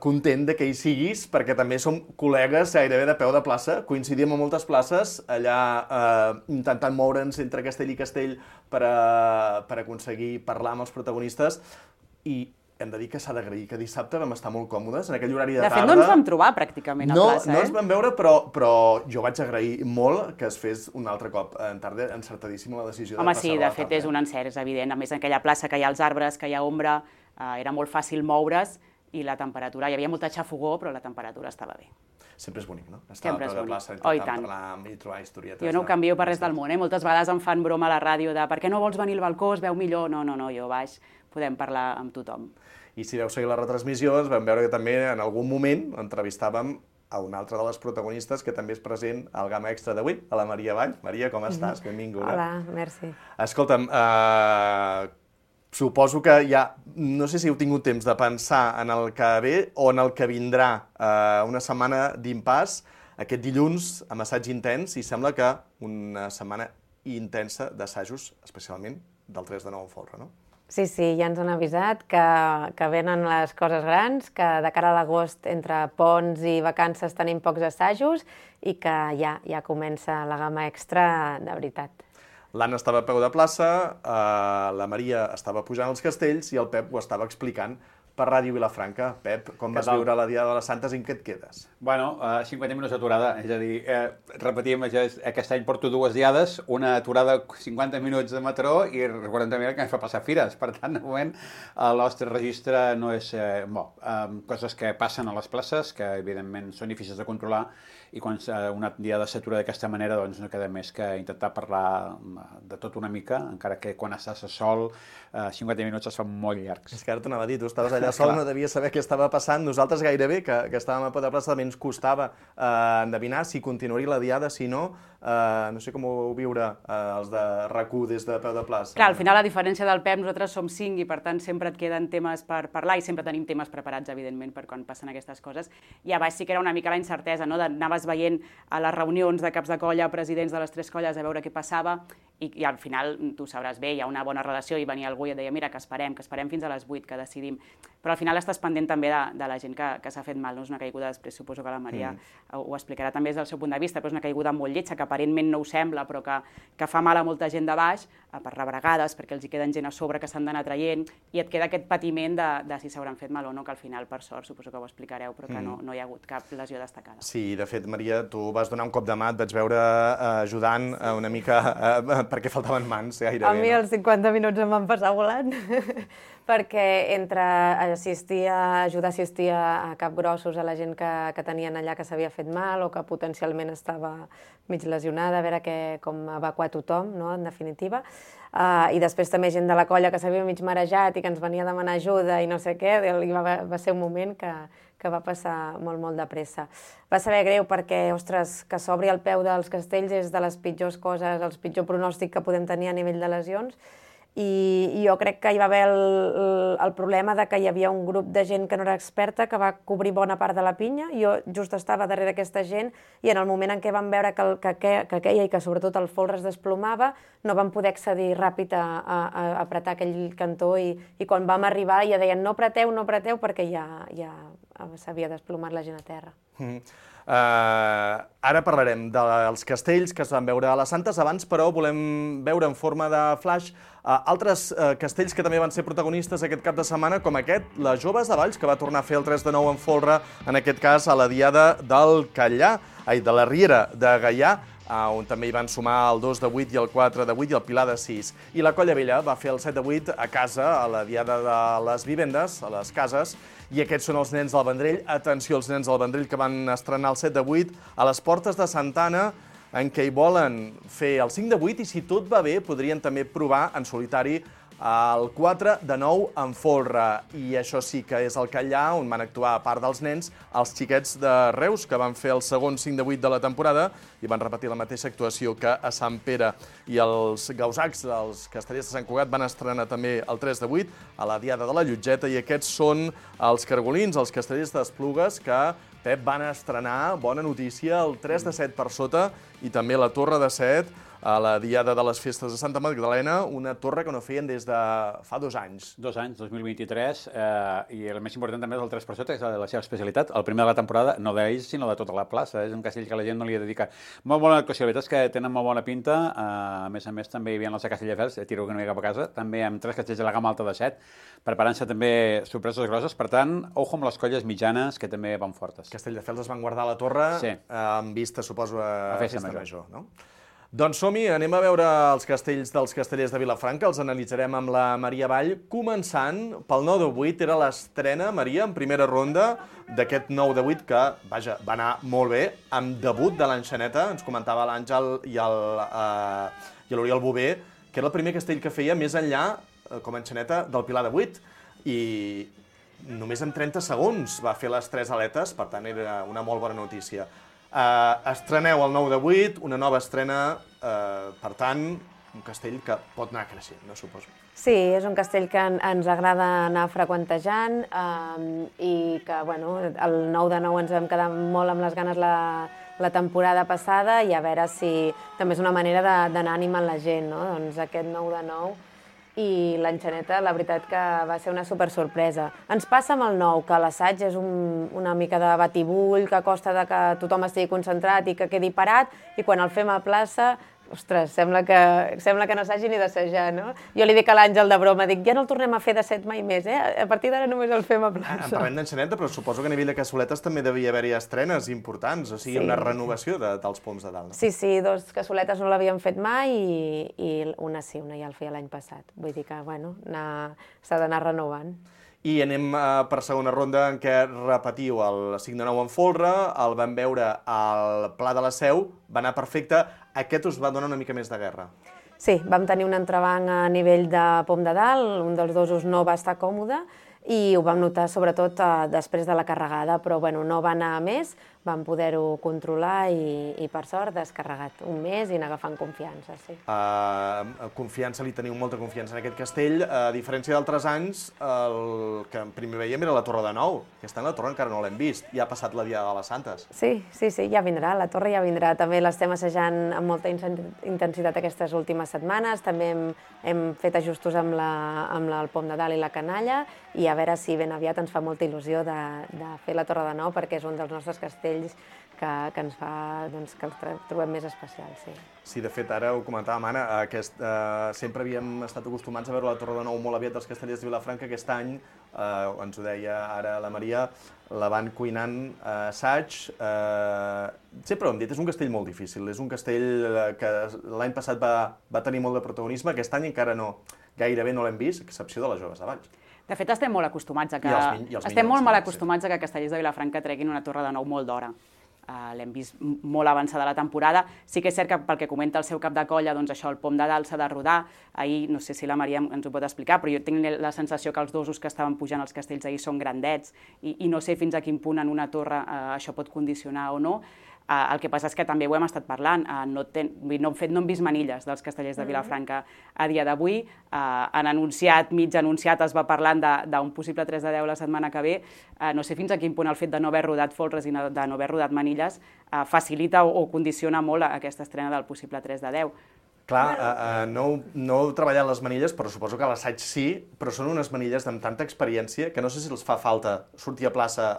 Speaker 9: Content de que hi siguis, perquè també som col·legues gairebé de peu de plaça, coincidim a moltes places, allà intentant moure'ns entre castell i castell per aconseguir parlar amb els protagonistes, i hem de dir que s'ha d'agrair que dissabte vam estar molt còmodes, en aquell horari de tarda.
Speaker 10: De fet, no ens vam trobar pràcticament a plaça,
Speaker 9: No ens vam veure, però jo vaig agrair molt que es fes un altre cop en tarda, encertadíssima la decisió de passar a la tarda.
Speaker 10: Home, sí, de fet és un encert, és evident. A més, en aquella plaça que hi ha els arbres, que hi ha ombra, era molt fàcil moure's i la temperatura, hi havia molta xafogor, però la temperatura estava bé.
Speaker 9: Sempre és bonic, no? Estar a peu de plaça, intentant parlar amb i trobar historietes.
Speaker 10: Jo no ho canvio per res del món, Moltes vegades em fan broma a la ràdio de per què no vols venir al balcó, es veu millor? No, jo baix, podem parlar amb tothom.
Speaker 9: I si veu seguir la retransmissió, ens vam veure que també en algun moment entrevistàvem a una altra de les protagonistes que també és present al Gamma Extra d'avui, a la Maria Vall. Maria, com estàs? Benvinguda.
Speaker 11: Hola, merci.
Speaker 9: Escolta'm, suposo que ja, no sé si heu tingut temps de pensar en el que ve o en el que vindrà, una setmana d'impàs, aquest dilluns amb assaig intens, i sembla que una setmana intensa d'assajos, especialment del 3 de 9 en folre, no?
Speaker 11: Sí, ja ens han avisat que venen les coses grans, que de cara a l'agost, entre ponts i vacances, tenim pocs assajos i que ja comença la Gamma Extra de veritat.
Speaker 9: L'Anna estava a peu de plaça, la Maria estava pujant els castells i el Pep ho estava explicant per Ràdio Vilafranca. Pep, com vas viure la Diada de les Santes i en què et quedes?
Speaker 1: Bueno, 50 minuts d'aturada, és a dir, repetim, aquest any porto 2 diades, una aturada 50 minuts de Mataró i 40 minuts que em fa passar fires. Per tant, de moment, el nostre registre no és bo. Coses que passen a les places, que evidentment són difícils de controlar, i quan una diada s'atura d'aquesta manera, doncs no queda més que intentar parlar de tot una mica, encara que quan estàs a sol 50 minuts es fan molt llargs.
Speaker 9: És que ara t'anava a dir, tu estaves allà sol, no devies saber què estava passant. Nosaltres gairebé, que estàvem a peu de plaça, també ens costava endevinar si continuaria la diada, si no. No sé com ho vau viure els de RAC1 des de peu de plaça.
Speaker 10: Clar, al final, a diferència del Pep, nosaltres som 5 i per tant sempre et queden temes per parlar i sempre tenim temes preparats, evidentment, per quan passen aquestes coses. I a baix sí que era una mica la incertesa, no? Anaves veient a les reunions de caps de colla, presidents de les 3 colles, a veure què passava i al final, tu sabràs bé, hi ha una bona relació i venia algú i et deia, mira, que esperem fins a les 8, que decidim. Però al final estàs pendent també de la gent que s'ha fet mal, no? És una caiguda, després suposo que la Maria ho explicarà també des del seu punt de vista, però és una caiguda molt lletja, que aparentment no ho sembla, però que fa mal a molta gent de baix, per rebregades, perquè els hi queden gent a sobre que s'han d'anar traient, i et queda aquest patiment de si s'hauran fet mal o no, que al final, per sort, suposo que ho explicareu, però que no hi ha hagut cap lesió destacada.
Speaker 9: Sí, de fet, Maria, tu vas donar un cop de mà, et vaig veure ajudant una mica perquè faltaven mans, gairebé.
Speaker 11: A mi els 50 minuts em van passar volant, perquè entre ajudar a assistir a capgrossos, a la gent que tenien allà que s'havia fet mal o que potencialment estava mig lesionada, a veure com evacuar tothom, no? En definitiva. I després també gent de la colla que s'havia mig marejat i que ens venia a demanar ajuda i no sé què, va ser un moment que va passar molt de pressa. Va saber greu perquè, ostres, que s'obri el peu dels castells és de les pitjors coses, el pitjor pronòstic que podem tenir a nivell de lesions, i jo crec que hi va haver el problema de que hi havia un grup de gent que no era experta que va cobrir bona part de la pinya. Jo just estava darrere d'aquesta gent i en el moment en què vam veure que queia i que sobretot el folre es desplomava, no vam poder accedir ràpid a apretar aquell cantó i quan vam arribar ja deien no apreteu perquè ja s'havia desplomat la gent a terra.
Speaker 9: Ara parlarem dels castells que es van veure a les Santes. Abans, però, volem veure en forma de flash altres castells que també van ser protagonistes aquest cap de setmana, com aquest, les Joves de Valls, que va tornar a fer el 3 de 9 en folre, en aquest cas a la Diada de la Riera de Gaià, on també hi van sumar el 2 de 8 i el 4 de 8 i el Pilar de 6. I la Colla Vella va fer el 7 de 8 a casa, a la Diada de les Vivendes, a les cases, i aquests són els nens del Vendrell. Atenció, els nens del Vendrell que van estrenar el 7 de 8 a les portes de Santa Anna, en què hi volen fer el 5 de 8 i si tot va bé podrien també provar en solitari el 4 de 9 en folre. I això sí que és el Callà, on van actuar, a part dels nens, els xiquets de Reus, que van fer el segon 5 de 8 de la temporada i van repetir la mateixa actuació que a Sant Pere. I els gausacs, els castellers de Sant Cugat, van estrenar també el 3 de 8 a la Diada de la Llotgeta, i aquests són els cargolins, els castellers d'Esplugues, que Pep van estrenar, bona notícia, el 3 de 7 per sota i també la Torre de 7 a la Diada de les Festes de Santa Magdalena, una torre que no feien des de fa 2 anys.
Speaker 1: 2 anys, 2023, i el més important també és el 3 per sota, que és la seva especialitat. El primer de la temporada, no d'ells, sinó de tota la plaça. És un castell que la gent no li dedica. Molt bona actuació, la veritat és que tenen molt bona pinta. A més, també hi havia els de Castelldefels, tiro una mica cap a casa, també amb 3 castells de la gamma alta de 7, preparant-se també sorpreses grosses. Per tant, ojo amb les colles mitjanes, que també van fortes.
Speaker 9: Castelldefels es van guardar a la torre,
Speaker 1: sí,
Speaker 9: amb vista, suposo, a Festa Major, no?
Speaker 7: Doncs som-hi, anem a veure els castells dels castellers de Vilafranca, els analitzarem amb la Maria Vall, començant pel 9 de 8, era l'estrena, Maria, en primera ronda d'aquest 9 de 8, que, vaja, va anar molt bé, amb debut de l'Enxaneta, ens comentava l'Àngel i l'Oriol Bové, que era el primer castell que feia més enllà, com a Enxaneta, del Pilar de 8, i només en 30 segons va fer les 3 aletes, per tant era una molt bona notícia. Estreneu el 9 de 8, una nova estrena, per tant, un castell que pot anar creixent, no suposo.
Speaker 11: Sí, és un castell que ens agrada anar freqüentejant i que, bueno, el 9 de 9 ens vam quedar molt amb les ganes la temporada passada i a veure si també és una manera d'anar animant la gent, no? Doncs aquest 9 de 9 i l'Enxaneta, la veritat que va ser una supersorpresa. Ens passa amb el 9, que l'assaig és una mica de batibull, que costa que tothom estigui concentrat i que quedi parat, i quan el fem a plaça ostres, sembla que no s'hagi ni d'assajar, no? Jo li dic a l'Àngel de broma, dic, ja no el tornem a fer de 7 mai més, A partir d'ara només el fem a plaça.
Speaker 9: Parlem d'enxaneta, però suposo que a nivell de cassoletes també devia haver-hi estrenes importants, o sigui, una renovació dels poms de dalt.
Speaker 11: Sí, 2 cassoletes no l'havíem fet mai i una sí, una ja el feia l'any passat. Vull dir que, bueno, s'ha d'anar renovant.
Speaker 9: I anem per segona ronda en què repetiu el 5-9 en folre, el vam veure al Pla de la Seu, va anar perfecte, aquest us va donar una mica més de guerra.
Speaker 11: Sí, vam tenir un entrebanc a nivell de pom de dalt, un dels dosos no va estar còmode i ho vam notar sobretot després de la carregada, però bueno, no va anar a més, vam poder-ho controlar i per sort descarregat un mes i anar agafant confiança, sí.
Speaker 9: Confiança, li teniu molta confiança en aquest castell. A diferència d'altres anys, el que primer veiem era la Torre de Nou. Aquest any la torre encara no l'hem vist, ja ha passat la Diada de les Santes.
Speaker 11: Sí, ja vindrà, la torre ja vindrà. També l'estem assajant amb molta intensitat aquestes últimes setmanes, també hem fet ajustos amb el pom de dalt i la canalla i a veure si ben aviat ens fa molta il·lusió de fer la Torre de Nou perquè és un dels nostres castells que ens fa que els trobem més especials, sí.
Speaker 9: Sí, de fet, ara ho comentàvem, Anna, sempre havíem estat acostumats a veure la Torre de Nou molt aviat dels Castellers de Vilafranca. Aquest any, ens ho deia ara la Maria, la van cuinant a assaig. Sempre ho hem dit, és un castell molt difícil, és un castell que l'any passat va tenir molt de protagonisme, aquest any encara no, gairebé no l'hem vist, a excepció de les joves de Valls.
Speaker 10: De fet, estem molt acostumats a que Castellers de Vilafranca treguin una Torre de Nou molt d'hora. L'hem vist molt avançada la temporada. Sí que és cert que pel que comenta el seu cap de colla, doncs això, el pom de dalt s'ha de rodar. Ahir, no sé si la Maria ens ho pot explicar, però jo tinc la sensació que els dosos que estaven pujant als castells ahir són grandets i no sé fins a quin punt en una torre això pot condicionar o no. El que passa és que també ho hem estat parlant, no hem vist manilles dels Castellers de Vilafranca a dia d'avui. Han anunciat, mig anunciat, es va parlant d'un possible 3 de 10 la setmana que ve. No sé fins a quin punt el fet de no haver rodat folres i de no haver rodat manilles facilita o condiciona molt aquesta estrena del possible 3 de 10.
Speaker 9: Clar, no heu treballat les manilles, però suposo que a l'assaig sí, però són unes manilles amb tanta experiència que no sé si els fa falta sortir a plaça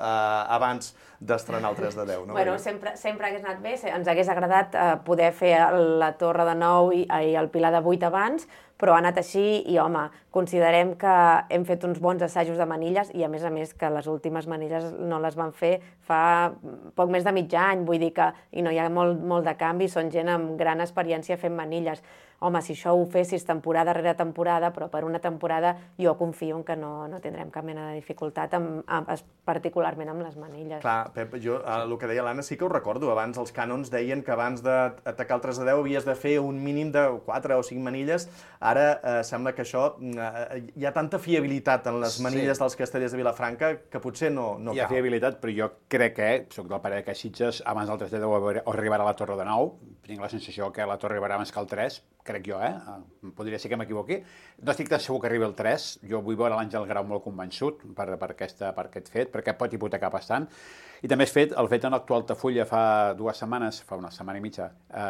Speaker 9: abans d'estrenar el 3 de 10.
Speaker 11: Bueno, sempre hagués anat bé, ens hagués agradat poder fer la Torre de 9 i el Pilar de 8 abans, però ha anat així i, home, considerem que hem fet uns bons assajos de manilles i, a més, que les últimes manilles no les van fer fa poc més de mig any, vull dir que no hi ha molt de canvi, són gent amb gran experiència fent manilles. Home, si això ho fessis temporada rere temporada, però per una temporada jo confio en que no tindrem cap mena de dificultat, particularment amb les manilles.
Speaker 9: Clar, Pep, jo el que deia l'Anna sí que ho recordo. Abans els cànons deien que abans d'atacar el 3 de 10 havies de fer un mínim de 4 o 5 manilles. Ara sembla que això... Hi ha tanta fiabilitat en les manilles dels Castellers de Vilafranca que potser no cal.
Speaker 1: Hi ha fiabilitat, però jo crec que, soc del parer que Sitges, abans del 3 de 10 arribarà a la Torre de 9. Tinc la sensació que la Torre arribarà abans que el 3, crec jo, podria ser que m'equivoqui. No estic tan segur que arribi el 3, jo vull veure l'Àngel Grau molt convençut per aquest fet, perquè pot hipotecar bastant. I també el fet en l'actual Altafulla fa 2 setmanes, fa una setmana i mitja,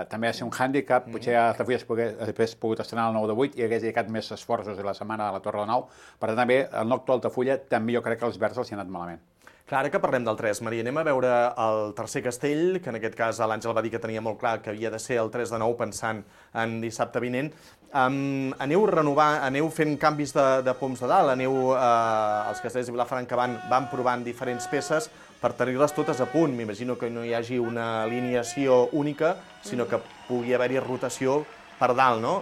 Speaker 1: també va ser un hàndicap, potser Altafulla hagués pogut estrenar el 9 de 8 i hagués dedicat més esforços a la setmana a la Torre de 9, per tant també el actual Altafulla també jo crec que els verds els hi han anat malament.
Speaker 9: Clar, ara que parlem del 3, Maria, anem a veure el tercer castell, que en aquest cas l'Àngel va dir que tenia molt clar que havia de ser el 3 de 9 pensant en dissabte vinent. Aneu fent canvis de poms de dalt, els castells de Vilafranca van provant diferents peces per tenir-les totes a punt. M'imagino que no hi hagi una alineació única, sinó que pugui haver-hi rotació per dalt, no?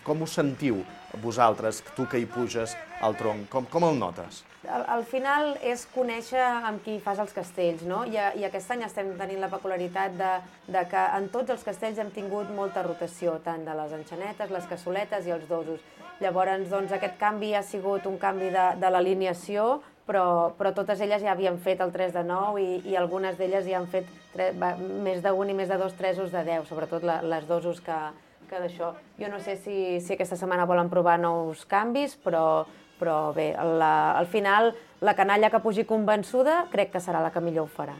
Speaker 9: Com us sentiu vosaltres, tu que hi puges al tronc? Com el notes?
Speaker 11: Al final és conèixer amb qui fas els castells, no? I aquest any estem tenint la peculiaritat de que en tots els castells hem tingut molta rotació, tant de les enxanetes, les cassoletes i els dosos. Llavors, doncs, aquest canvi ha sigut un canvi de l'alineació, però totes elles ja havien fet el 3 de 9 i algunes d'elles ja han fet més d'un i més de 2 3 de 10, sobretot les dosos que d'això. Jo no sé si aquesta setmana volen provar nous canvis, però bé, al final la canalla que pugi convençuda crec que serà la que millor ho farà.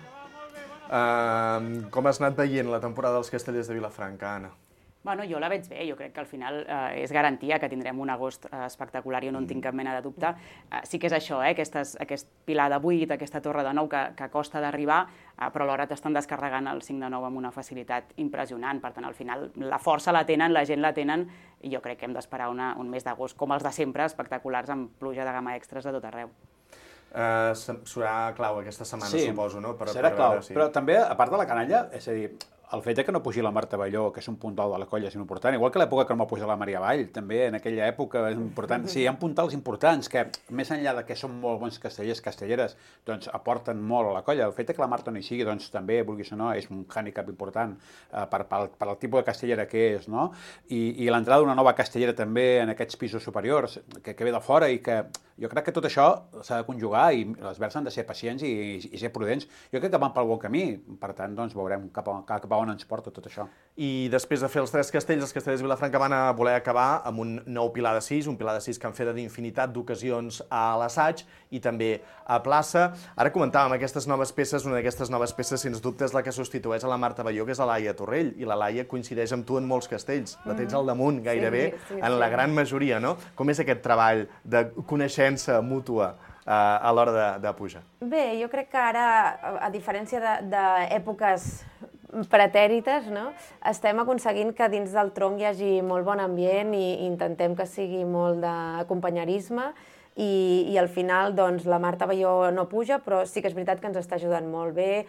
Speaker 9: Com has anat veient la temporada dels Castellers de Vilafranca, Anna?
Speaker 10: Bueno, jo la veig bé, jo crec que al final és garantia que tindrem un agost espectacular, jo no en tinc cap mena de dubte. Sí que és això, aquest pilar de 8, aquesta torre de 9 que costa d'arribar, però alhora t'estan descarregant el 5 de 9 amb una facilitat impressionant. Per tant, al final la força la tenen, la gent la tenen, i jo crec que hem d'esperar un mes d'agost, com els de sempre, espectaculars, amb pluja de gamma extras a tot arreu.
Speaker 9: Serà clau aquesta setmana, suposo, no?
Speaker 1: Serà clau, però també, a part de la canalla, és a dir, el fet que no pugi la Marta Balló, que és un puntal de la colla, és important, igual que l'època que no va pujar la Maria Vall, també en aquella època és important. Sí, hi ha puntals importants que, més enllà de que són molt bons castellers, castelleres, doncs aporten molt a la colla. El fet que la Marta no hi sigui, doncs també, vulguis o no, és un hàndicap important per al tipus de castellera que és, no? I l'entrada d'una nova castellera també en aquests pisos superiors, que ve de fora i que jo crec que tot això s'ha de conjugar i les Verds han de ser pacients i ser prudents. Jo crec que van pel bon camí, per tant, doncs veurem cap a on ens porta tot això.
Speaker 9: I després de fer els 3 castells, els castellers de Vilafranca van a voler acabar amb un nou pilar de 6, un pilar de 6 que han fet d'infinitat d'ocasions a l'assaig i també a plaça. Ara comentàvem aquestes noves peces, una d'aquestes noves peces, sens dubte, és la que substitueix a la Marta Balló, que és la Laia Torrell, i la Laia coincideix amb tu en molts castells. La tens al damunt, gairebé, en la gran majoria, no? Com és aquest treball de coneixença mútua a l'hora de pujar?
Speaker 11: Bé, jo crec que ara, a diferència d'èpoques pretèrites, no? Estem aconseguint que dins del tronc hi hagi molt bon ambient i intentem que sigui molt d'acompanyarisme i al final doncs, la Marta Balló no puja, però sí que és veritat que ens està ajudant molt bé.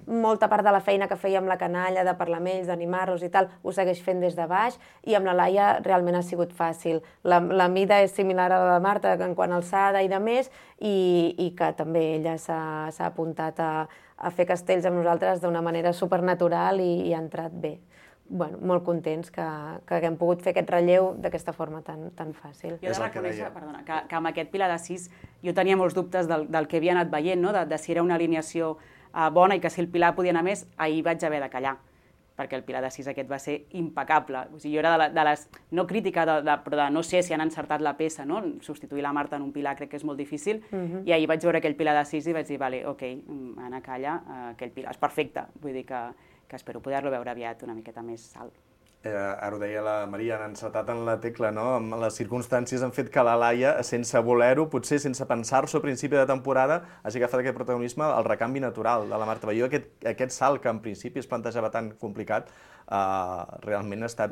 Speaker 11: Molta part de la feina que feia amb la canalla, de parlar amb ells, d'animar-los i tal, ho segueix fent des de baix, i amb la Laia realment ha sigut fàcil. La mida és similar a la de Marta en quant a alçada i de més, i que també ella s'ha apuntat a fer castells amb nosaltres d'una manera supernatural i ha entrat bé. Bueno, molt contents que haguem pogut fer aquest relleu d'aquesta forma tan fàcil.
Speaker 10: Jo he de reconèixer, perdona, que amb aquest pilar de 6 jo tenia molts dubtes del que havia anat veient, de si era una alineació bona i que si el pilar podia anar més, ahir vaig haver de callar, perquè el pilar de 6 aquest va ser impecable. O sigui, jo era de les, no crítica, però de no sé si han encertat la peça, no? Substituir la Marta en un pilar crec que és molt difícil, i ahir vaig veure aquell pilar de 6 i vaig dir, vale, ok, Anna, calla, aquell pilar és perfecte, vull dir que espero poder-lo veure aviat una miqueta més alt.
Speaker 9: Ara ho deia la Maria, han encertat en la tecla, no? Les circumstàncies han fet que la Laia, sense voler-ho, potser sense pensar-s'ho a principi de temporada, hagi agafat aquest protagonisme, el recanvi natural de la Marta Balló. Aquest salt que en principi es plantejava tan complicat, realment ha estat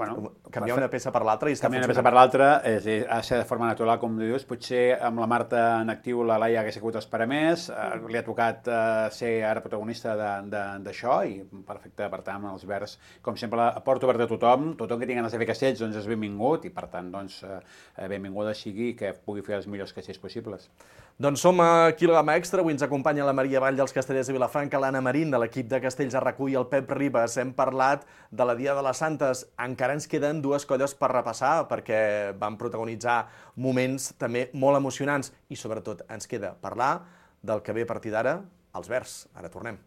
Speaker 9: canviar una peça per l'altra i està funcionant.
Speaker 1: Canviar una peça per l'altra ha de ser de forma natural, com dius. Potser amb la Marta en actiu la Laia hagués hagut d'esperar més, li ha tocat ser ara protagonista d'això i perfecte, per tant, els Verds, com sempre, a porta oberta a tothom que tingui ganes de fer castells doncs és benvingut i per tant doncs benvinguda sigui que pugui fer els millors castells possibles.
Speaker 9: Doncs som aquí a la Gamma Extra, avui ens acompanya la Maria Vall dels Castellers de Vilafranca, l'Anna Marín de l'equip de Castells a RAC1 i el Pep Ribas. Hem parlat de la Dia de les Santes. Encara ens queden 2 colles per repassar perquè van protagonitzar moments també molt emocionants i sobretot ens queda parlar del que ve a partir d'ara, els Verds. Ara tornem.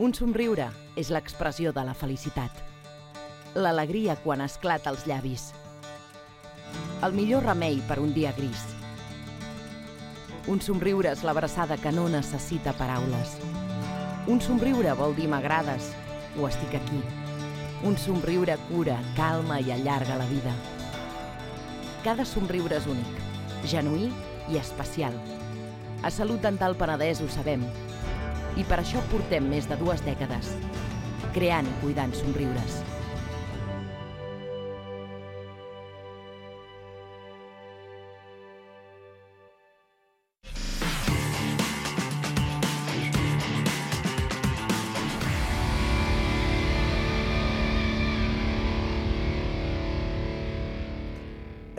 Speaker 12: Un somriure és l'expressió de la felicitat. L'alegria quan esclata als llavis. El millor remei per un dia gris. Un somriure és l'abraçada que no necessita paraules. Un somriure vol dir m'agrades o estic aquí. Un somriure cura, calma i allarga la vida. Cada somriure és únic, genuí i especial. A Salut Dental Penedès ho sabem. I per això portem més de 2 dècades, creant i cuidant somriures.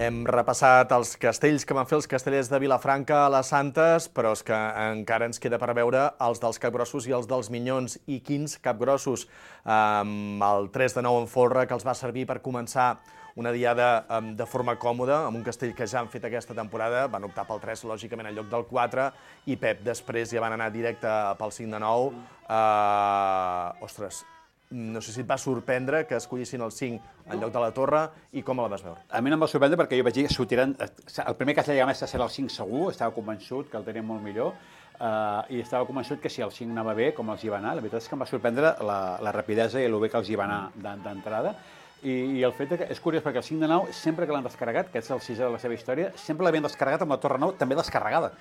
Speaker 9: Hem repassat els castells que van fer els castellers de Vilafranca a les Santes, però és que encara ens queda per veure els dels capgrossos i els dels minyons. I quins capgrossos? El 3 de 9 en folre, que els va servir per començar una diada de forma còmoda, amb un castell que ja han fet aquesta temporada, van optar pel 3, lògicament, en lloc del 4, i Pep després ja van anar directe pel 5 de 9. Ostres, no sé si et va sorprendre que escollissin el 5 en lloc de la Torre i com la vas veure?
Speaker 1: A mi no em va sorprendre perquè jo vaig dir que sortiran... El primer Castell de Gamesa serà el 5 segur, estava convençut que el tenia molt millor, i estava convençut que si el 5 anava bé, com els hi va anar, la veritat és que em va sorprendre la rapidesa i el bé que els hi va anar d'entrada. I el fet que és curiós perquè el 5 de 9, sempre que l'han descarregat, que és el 6è de la seva història, sempre l'havien descarregat amb la Torre 9 també descarregada.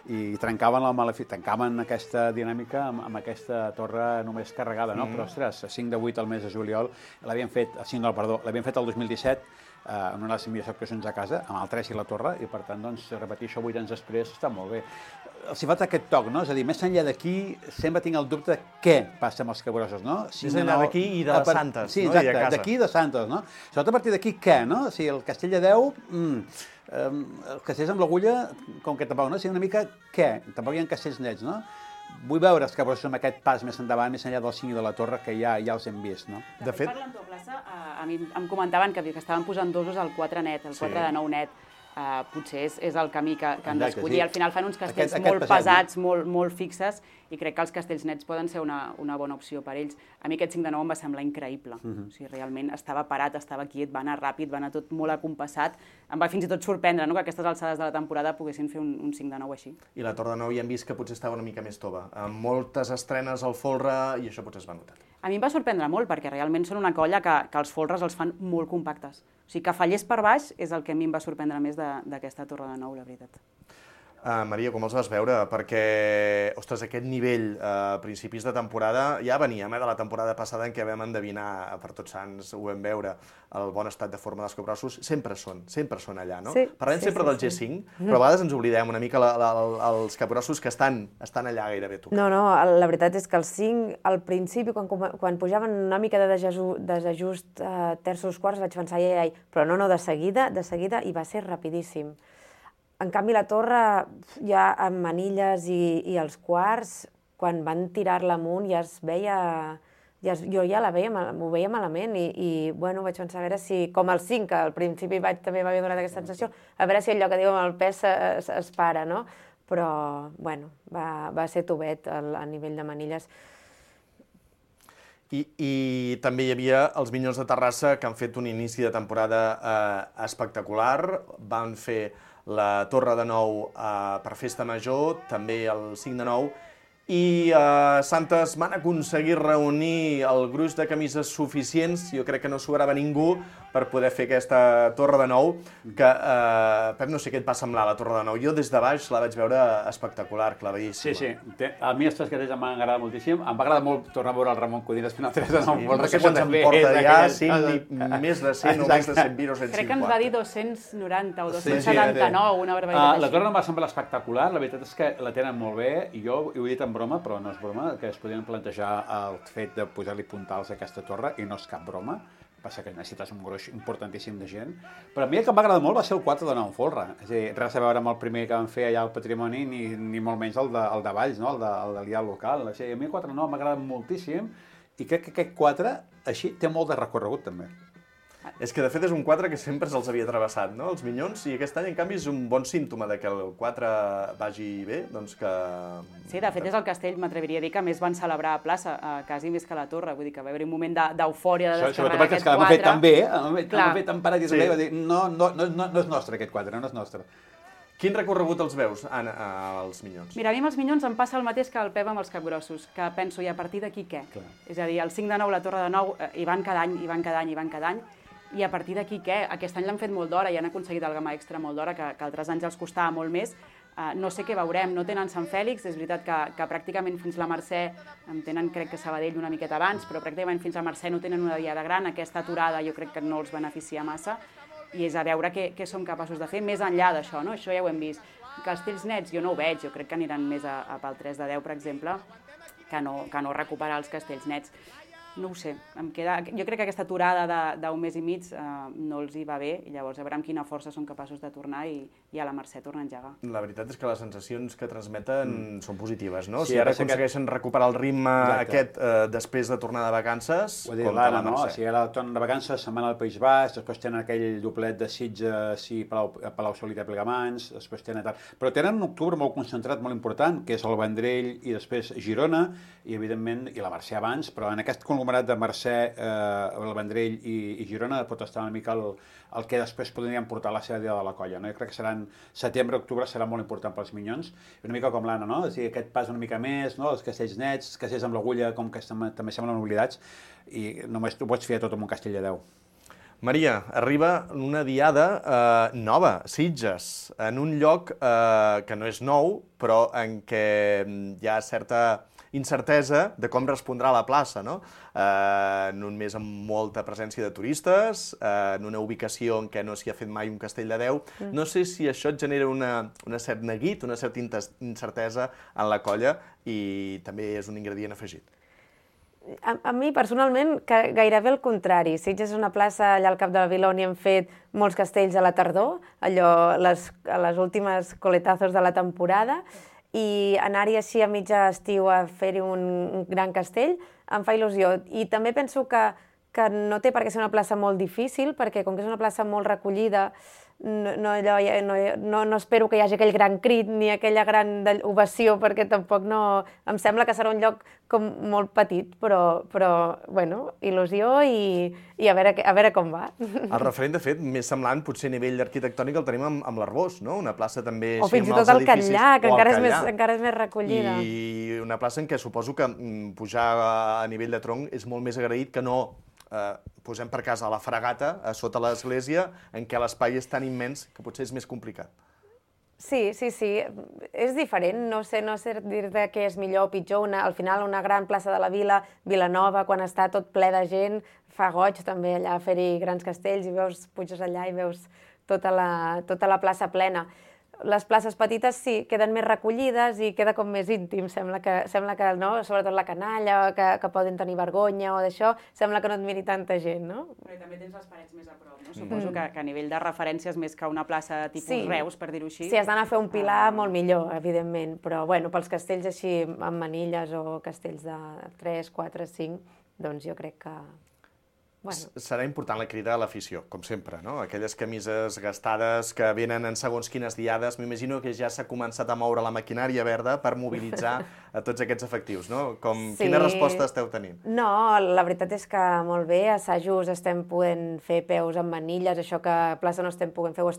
Speaker 1: I tancaven aquesta dinàmica amb aquesta torre només carregada, no? Però, ostres, el 5 de 8 al mes de juliol, l'havien fet el 2017, en una de les millors actuacions a casa, amb el 3 i la Torre, i per tant, doncs, repetir això 8 anys després està molt bé. Els hi falta aquest toc, no? És a dir, més enllà d'aquí, sempre tinc el dubte de què passa amb els capgrossos, no?
Speaker 9: Més enllà d'aquí i de les Santes,
Speaker 1: no? Sí, exacte, d'aquí i de Santes, no? Sobretot a partir d'aquí, què, no? O sigui, el Castell de Déu, els castells amb l'agulla, com que tampoc, no? O sigui, una mica, què? Tampoc hi ha castells nets, no? Vull veure els capgrossos amb aquest pas més endavant, més enllà del 5 i de la Torre, que ja els hem vist, no?
Speaker 10: De fet, parlant de plaça, a mi em comentaven que estaven posant dosos al 4 net, el 4 de 9 net. Potser és el camí que han d'escollir. Al final fan uns castells molt pesats, molt fixes, i crec que els castells nets poden ser una bona opció per ells. A mi aquest 5 de 9 em va semblar increïble. O sigui, realment estava parat, estava quiet, va anar ràpid, va anar tot molt acompassat. Em va fins i tot sorprendre que a aquestes alçades de la temporada poguessin fer un 5 de 9 així.
Speaker 9: I la Torre de 9 ja hem vist que potser estava una mica més tova, amb moltes estrenes al folre, i això potser es va notar.
Speaker 10: A mi em va sorprendre molt, perquè realment són una colla que els folres els fan molt compactes. O sigui, que fallés per baix és el que a mi em va sorprendre més d'aquesta Torre de 9, la veritat.
Speaker 9: Maria, com els vas veure? Perquè, ostres, aquest nivell a principis de temporada, ja veníem de la temporada passada en què vam endevinar, per Tots Sants ho vam veure, el bon estat de forma dels capgrossos, sempre són allà, no? Parlem sempre del G5, però a vegades ens oblidem una mica els capgrossos que estan allà gairebé tocant.
Speaker 11: No, la veritat és que els 5, al principi, quan pujaven una mica de desajust terços quarts, vaig pensar, ai, però no, de seguida, i va ser rapidíssim. En canvi, la Torre, ja amb manilles i els quarts, quan van tirar-la amunt ja es veia... Jo ja m'ho veia malament i vaig pensar a veure si, com el 5, que al principi també m'havia donat aquesta sensació, a veure si allò que diu amb el pes es para, no? Però, va ser tovet a nivell de manilles.
Speaker 9: I també hi havia els Minyons de Terrassa, que han fet un inici de temporada espectacular, van fer la Torre de 9 per Festa Major, també el 5 de 9, i Santes van aconseguir reunir el gruix de camises suficients, jo crec que no sobrava ningú per poder fer aquesta Torre de 9, que, Pep, no sé què et va semblar la Torre de 9, jo des de baix la vaig veure espectacular, claveríssima.
Speaker 1: Sí, a mi els tres castells m'han agradat moltíssim, em va agradar molt tornar a veure el Ramon Codines fent el 3 de 9,
Speaker 9: no sé quants en porta ja, més de 100 o més de 100 viros, 150.
Speaker 10: Crec que ens va dir 290 o 279, una barbaritat així.
Speaker 1: La Torre em va semblar espectacular, la veritat és que la tenen molt bé, i jo ho he dit en broma, però no és broma, que es podien plantejar el fet de posar-li puntals a aquesta torre, i no és cap broma, passa que necessites un gruix importantíssim de gent, però a mi el que em va agradar molt va ser el 4 de 9 folre, és a dir, res a veure amb el primer que van fer allà al Patrimoni, ni molt menys el de Valls, no? el de l'IA local, a mi el 4 de 9 m'ha agradat moltíssim, i crec que aquest 4, així, té molt de recorregut també.
Speaker 9: És que, de fet, és un 4 que sempre se'ls havia travessat, no?, els Minyons, i aquest any, en canvi, és un bon símptoma de que el 4 vagi bé, doncs que...
Speaker 10: Sí, de fet, és el castell, m'atreviria a dir, que més van celebrar a plaça, quasi més que a la Torre, vull dir que va haver un moment d'eufòria de descarregar aquest 4.
Speaker 1: Sobretot perquè l'han fet tan bé, l'han fet tan parat i tan bé, va dir, no és nostre aquest 4, no és nostre.
Speaker 9: Quin recorregut els veus, Anna, als Minyons?
Speaker 10: Mira, a mi amb els Minyons em passa el mateix que el Pep amb els capgrossos, que penso, i a partir d'aquí què? És a dir, el 5 de 9, la Torre de 9, hi van cada any, i a partir d'aquí què? Aquest any l'han fet molt d'hora i han aconseguit el gamma extra molt d'hora, que altres anys els costava molt més. No sé què veurem, no tenen Sant Fèlix, és veritat que pràcticament fins la Mercè, en tenen crec que Sabadell una miqueta abans, però pràcticament fins a Mercè no tenen una diada gran, aquesta aturada jo crec que no els beneficia massa, i és a veure què som capaços de fer més enllà d'això, no? Això ja ho hem vist. Castells nets jo no ho veig, jo crec que aniran més pel 3 de 10, per exemple, que no recuperar els castells nets. No ho sé, jo crec que aquesta aturada d'un mes i mig no els hi va bé, i llavors a veure amb quina força són capaços de tornar i a la Mercè tornar a engegar.
Speaker 9: La veritat és que les sensacions que transmeten són positives, no? Si ara aconsegueixen recuperar el ritme aquest després de tornar de vacances,
Speaker 1: com a la Mercè. Si ara tornen de vacances, se'n van al País Basc, després tenen aquell doblet de Sitges i Palau-solità i Plegamans, després tenen tal... Però tenen un octubre molt concentrat, molt important, que és el Vendrell i després Girona, i evidentment, i la Mercè abans, però en aquest moment conglomerat de Mercè, el Vendrell i Girona pot estar una mica el que després podrien portar la seva dia de la colla. No? Jo crec que setembre, octubre serà molt important pels Minyons, una mica com l'Anna, no? És a dir, aquest pas una mica més, no? Els castells nets, els castells amb l'agulla, com que també semblen oblidats, i només tu pots fiar tot amb un castell de 10.
Speaker 9: Maria, arriba una diada nova, Sitges, en un lloc que no és nou, però en què hi ha certa incertesa de com respondrà la plaça, no? En un mes amb molta presència de turistes, en una ubicació en què no s'hi ha fet mai un castell de 10. No sé si això et genera una cert neguit, una certa incertesa en la colla i també és un ingredient afegit.
Speaker 11: A mi, personalment, gairebé el contrari. Sitges és una plaça allà al cap de la vila on hi hem fet molts castells a la tardor, allò, les últimes coletazos de la temporada, i anar-hi així a mitja estiu a fer-hi un gran castell em fa il·lusió. I també penso que no té per què ser una plaça molt difícil, perquè com que és una plaça molt recollida, no espero que hi hagi aquell gran crit ni aquella gran ovació, perquè tampoc no... Em sembla que serà un lloc com molt petit, però bueno, il·lusió i a veure com va.
Speaker 9: El referent, de fet, més semblant, potser a nivell arquitectònic, el tenim amb l'Arbós, no? Una plaça també...
Speaker 11: O fins i tot el Catllà, que encara és més recollida.
Speaker 9: I una plaça en què suposo que pujar a nivell de tronc és molt més agraït que no... posem per casa a la Fragata, a sota l'església, en què l'espai és tan immens que potser és més complicat.
Speaker 11: Sí, és diferent, no sé dir-te què és millor o pitjor. Al final, una gran plaça de la vila, Vilanova, quan està tot ple de gent, fa goig també allà fer-hi grans castells i puges allà i veus tota la plaça plena. Les places petites sí, queden més recollides i queda com més íntim, sembla que no? Sobretot la canalla, que poden tenir vergonya o d'això, sembla que no et miri tanta gent, no?
Speaker 10: Però també tens les parets més a prop, no? Suposo que a nivell de referències, més que una plaça tipus Reus, per dir-ho així.
Speaker 11: Sí, has d'anar a fer un pilar molt millor, evidentment, però bueno, pels castells així amb manilles o castells de 3, 4, 5, doncs jo crec que...
Speaker 9: Serà important la crida a l'afició, com sempre, no? Aquelles camises gastades que venen en segons quines diades. M'imagino que ja s'ha començat a moure la maquinària verda per mobilitzar a tots aquests efectius, no? Quina resposta esteu tenint?
Speaker 11: No, la veritat és que molt bé, a assajos estem podent fer peus amb manilles, això que a plaça no estem podent fer, ho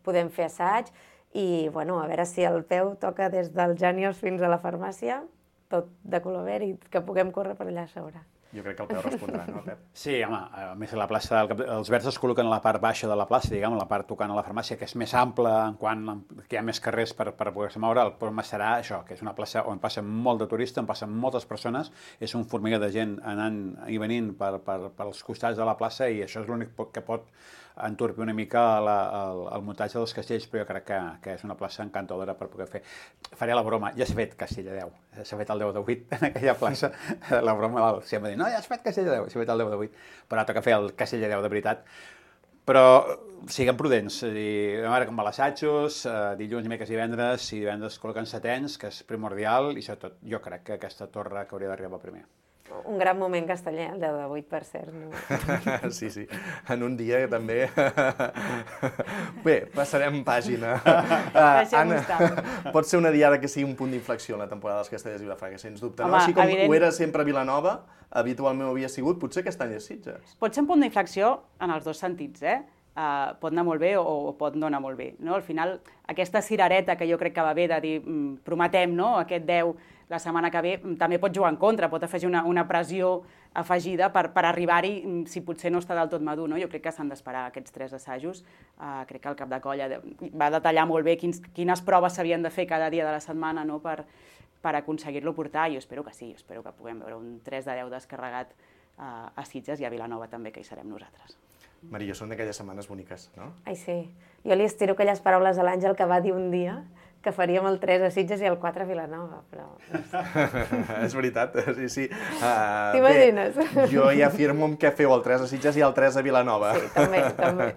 Speaker 11: podem fer assaig, i bueno, a veure si el peu toca des dels Jànios fins a la farmàcia, tot de color verd, i que puguem córrer per allà a sobre.
Speaker 9: Jo crec que el peu respondrà, no, Pep?
Speaker 1: Sí, home, a més la plaça, els verds es col·loquen a la part baixa de la plaça, diguem, a la part tocant a la farmàcia, que és més ampla en quant que hi ha més carrers per poder-se moure. El problema serà això, que és una plaça on passa molt de turistes, on passen moltes persones, és un formiguer de gent anant i venint pels costats de la plaça, i això és l'únic que pot entorpir una mica el muntatge dels castells, però jo crec que és una plaça encantadora per poder fer. Faré la broma, ja s'ha fet Castell de 10, s'ha fet el 10 de 8 en aquella plaça, la broma sempre dir, no, ja s'ha fet Castell de 10, s'ha fet el 10 de 8, però toca fer el Castell de 10 de veritat. Però siguem prudents, a veure com va l'assajos, dilluns, dimecres i divendres col·loquen setens, que és primordial, i sobretot jo crec que aquesta torre que hauria d'arribar primer.
Speaker 11: Un gran moment casteller, el 10 de 8, per cert. No?
Speaker 9: Sí, en un dia també. Bé, passarem pàgina. Anna, pot ser una diada que sigui un punt d'inflexió en la temporada dels Castellers i Vilafranca, sens dubte.
Speaker 10: Home,
Speaker 9: no? Així com ho era sempre a Vilanova, habitualment ho havia sigut, potser aquest any és Sitges.
Speaker 10: Pot ser un punt d'inflexió en els dos sentits, pot anar molt bé o pot no anar molt bé. No? Al final, aquesta cirereta que jo crec que va bé de dir prometem, no? Aquest 10 la setmana que ve, també pot jugar en contra, pot afegir una pressió afegida per arribar-hi si potser no està del tot madur. No? Jo crec que s'han d'esperar aquests 3 assajos. Crec que el cap de colla va detallar molt bé quines proves s'havien de fer cada dia de la setmana, no? per aconseguir-lo portar. Jo espero que sí, espero que puguem veure un 3 de 10 descarregat a Sitges i a Vilanova també, que hi serem nosaltres.
Speaker 9: Maria, són d'aquelles setmanes boniques, no?
Speaker 11: Ai, sí. Jo li estiro aquelles paraules a l'Àngel que va dir un dia que faríem el 3 a Sitges i el 4 a Vilanova, però...
Speaker 9: És veritat, sí.
Speaker 11: T'imagines?
Speaker 9: Jo ja afirmo que feu el 3 a Sitges i el 3 a Vilanova.
Speaker 11: Sí, també.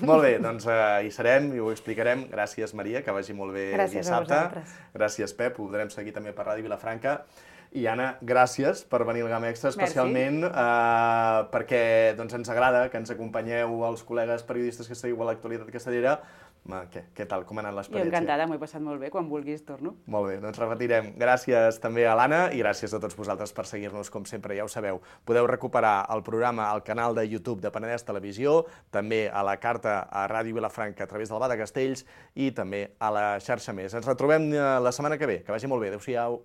Speaker 9: Molt bé, doncs hi serem i ho explicarem. Gràcies, Maria, que vagi molt bé dissabte.
Speaker 11: Gràcies a vosaltres.
Speaker 9: Gràcies, Pep, ho podrem seguir també per Ràdio Vilafranca. I Anna, gràcies per venir al Gamma Extra, especialment perquè ens agrada que ens acompanyeu els col·legues periodistes que seguiu a l'actualitat castellera Què tal? Com ha anat
Speaker 10: Jo
Speaker 9: l'experiència?
Speaker 10: encantada, m'ho he passat molt bé. Quan vulguis torno.
Speaker 9: Molt bé, doncs repetirem. Gràcies també a l'Anna i gràcies a tots vosaltres per seguir-nos, com sempre, ja ho sabeu. Podeu recuperar el programa al canal de YouTube de Penedès Televisió, també a la carta a Ràdio Vilafranca a través del Bar de Castells i també a la xarxa Més. Ens retrobem la setmana que ve. Que vagi molt bé. Adéu-siau.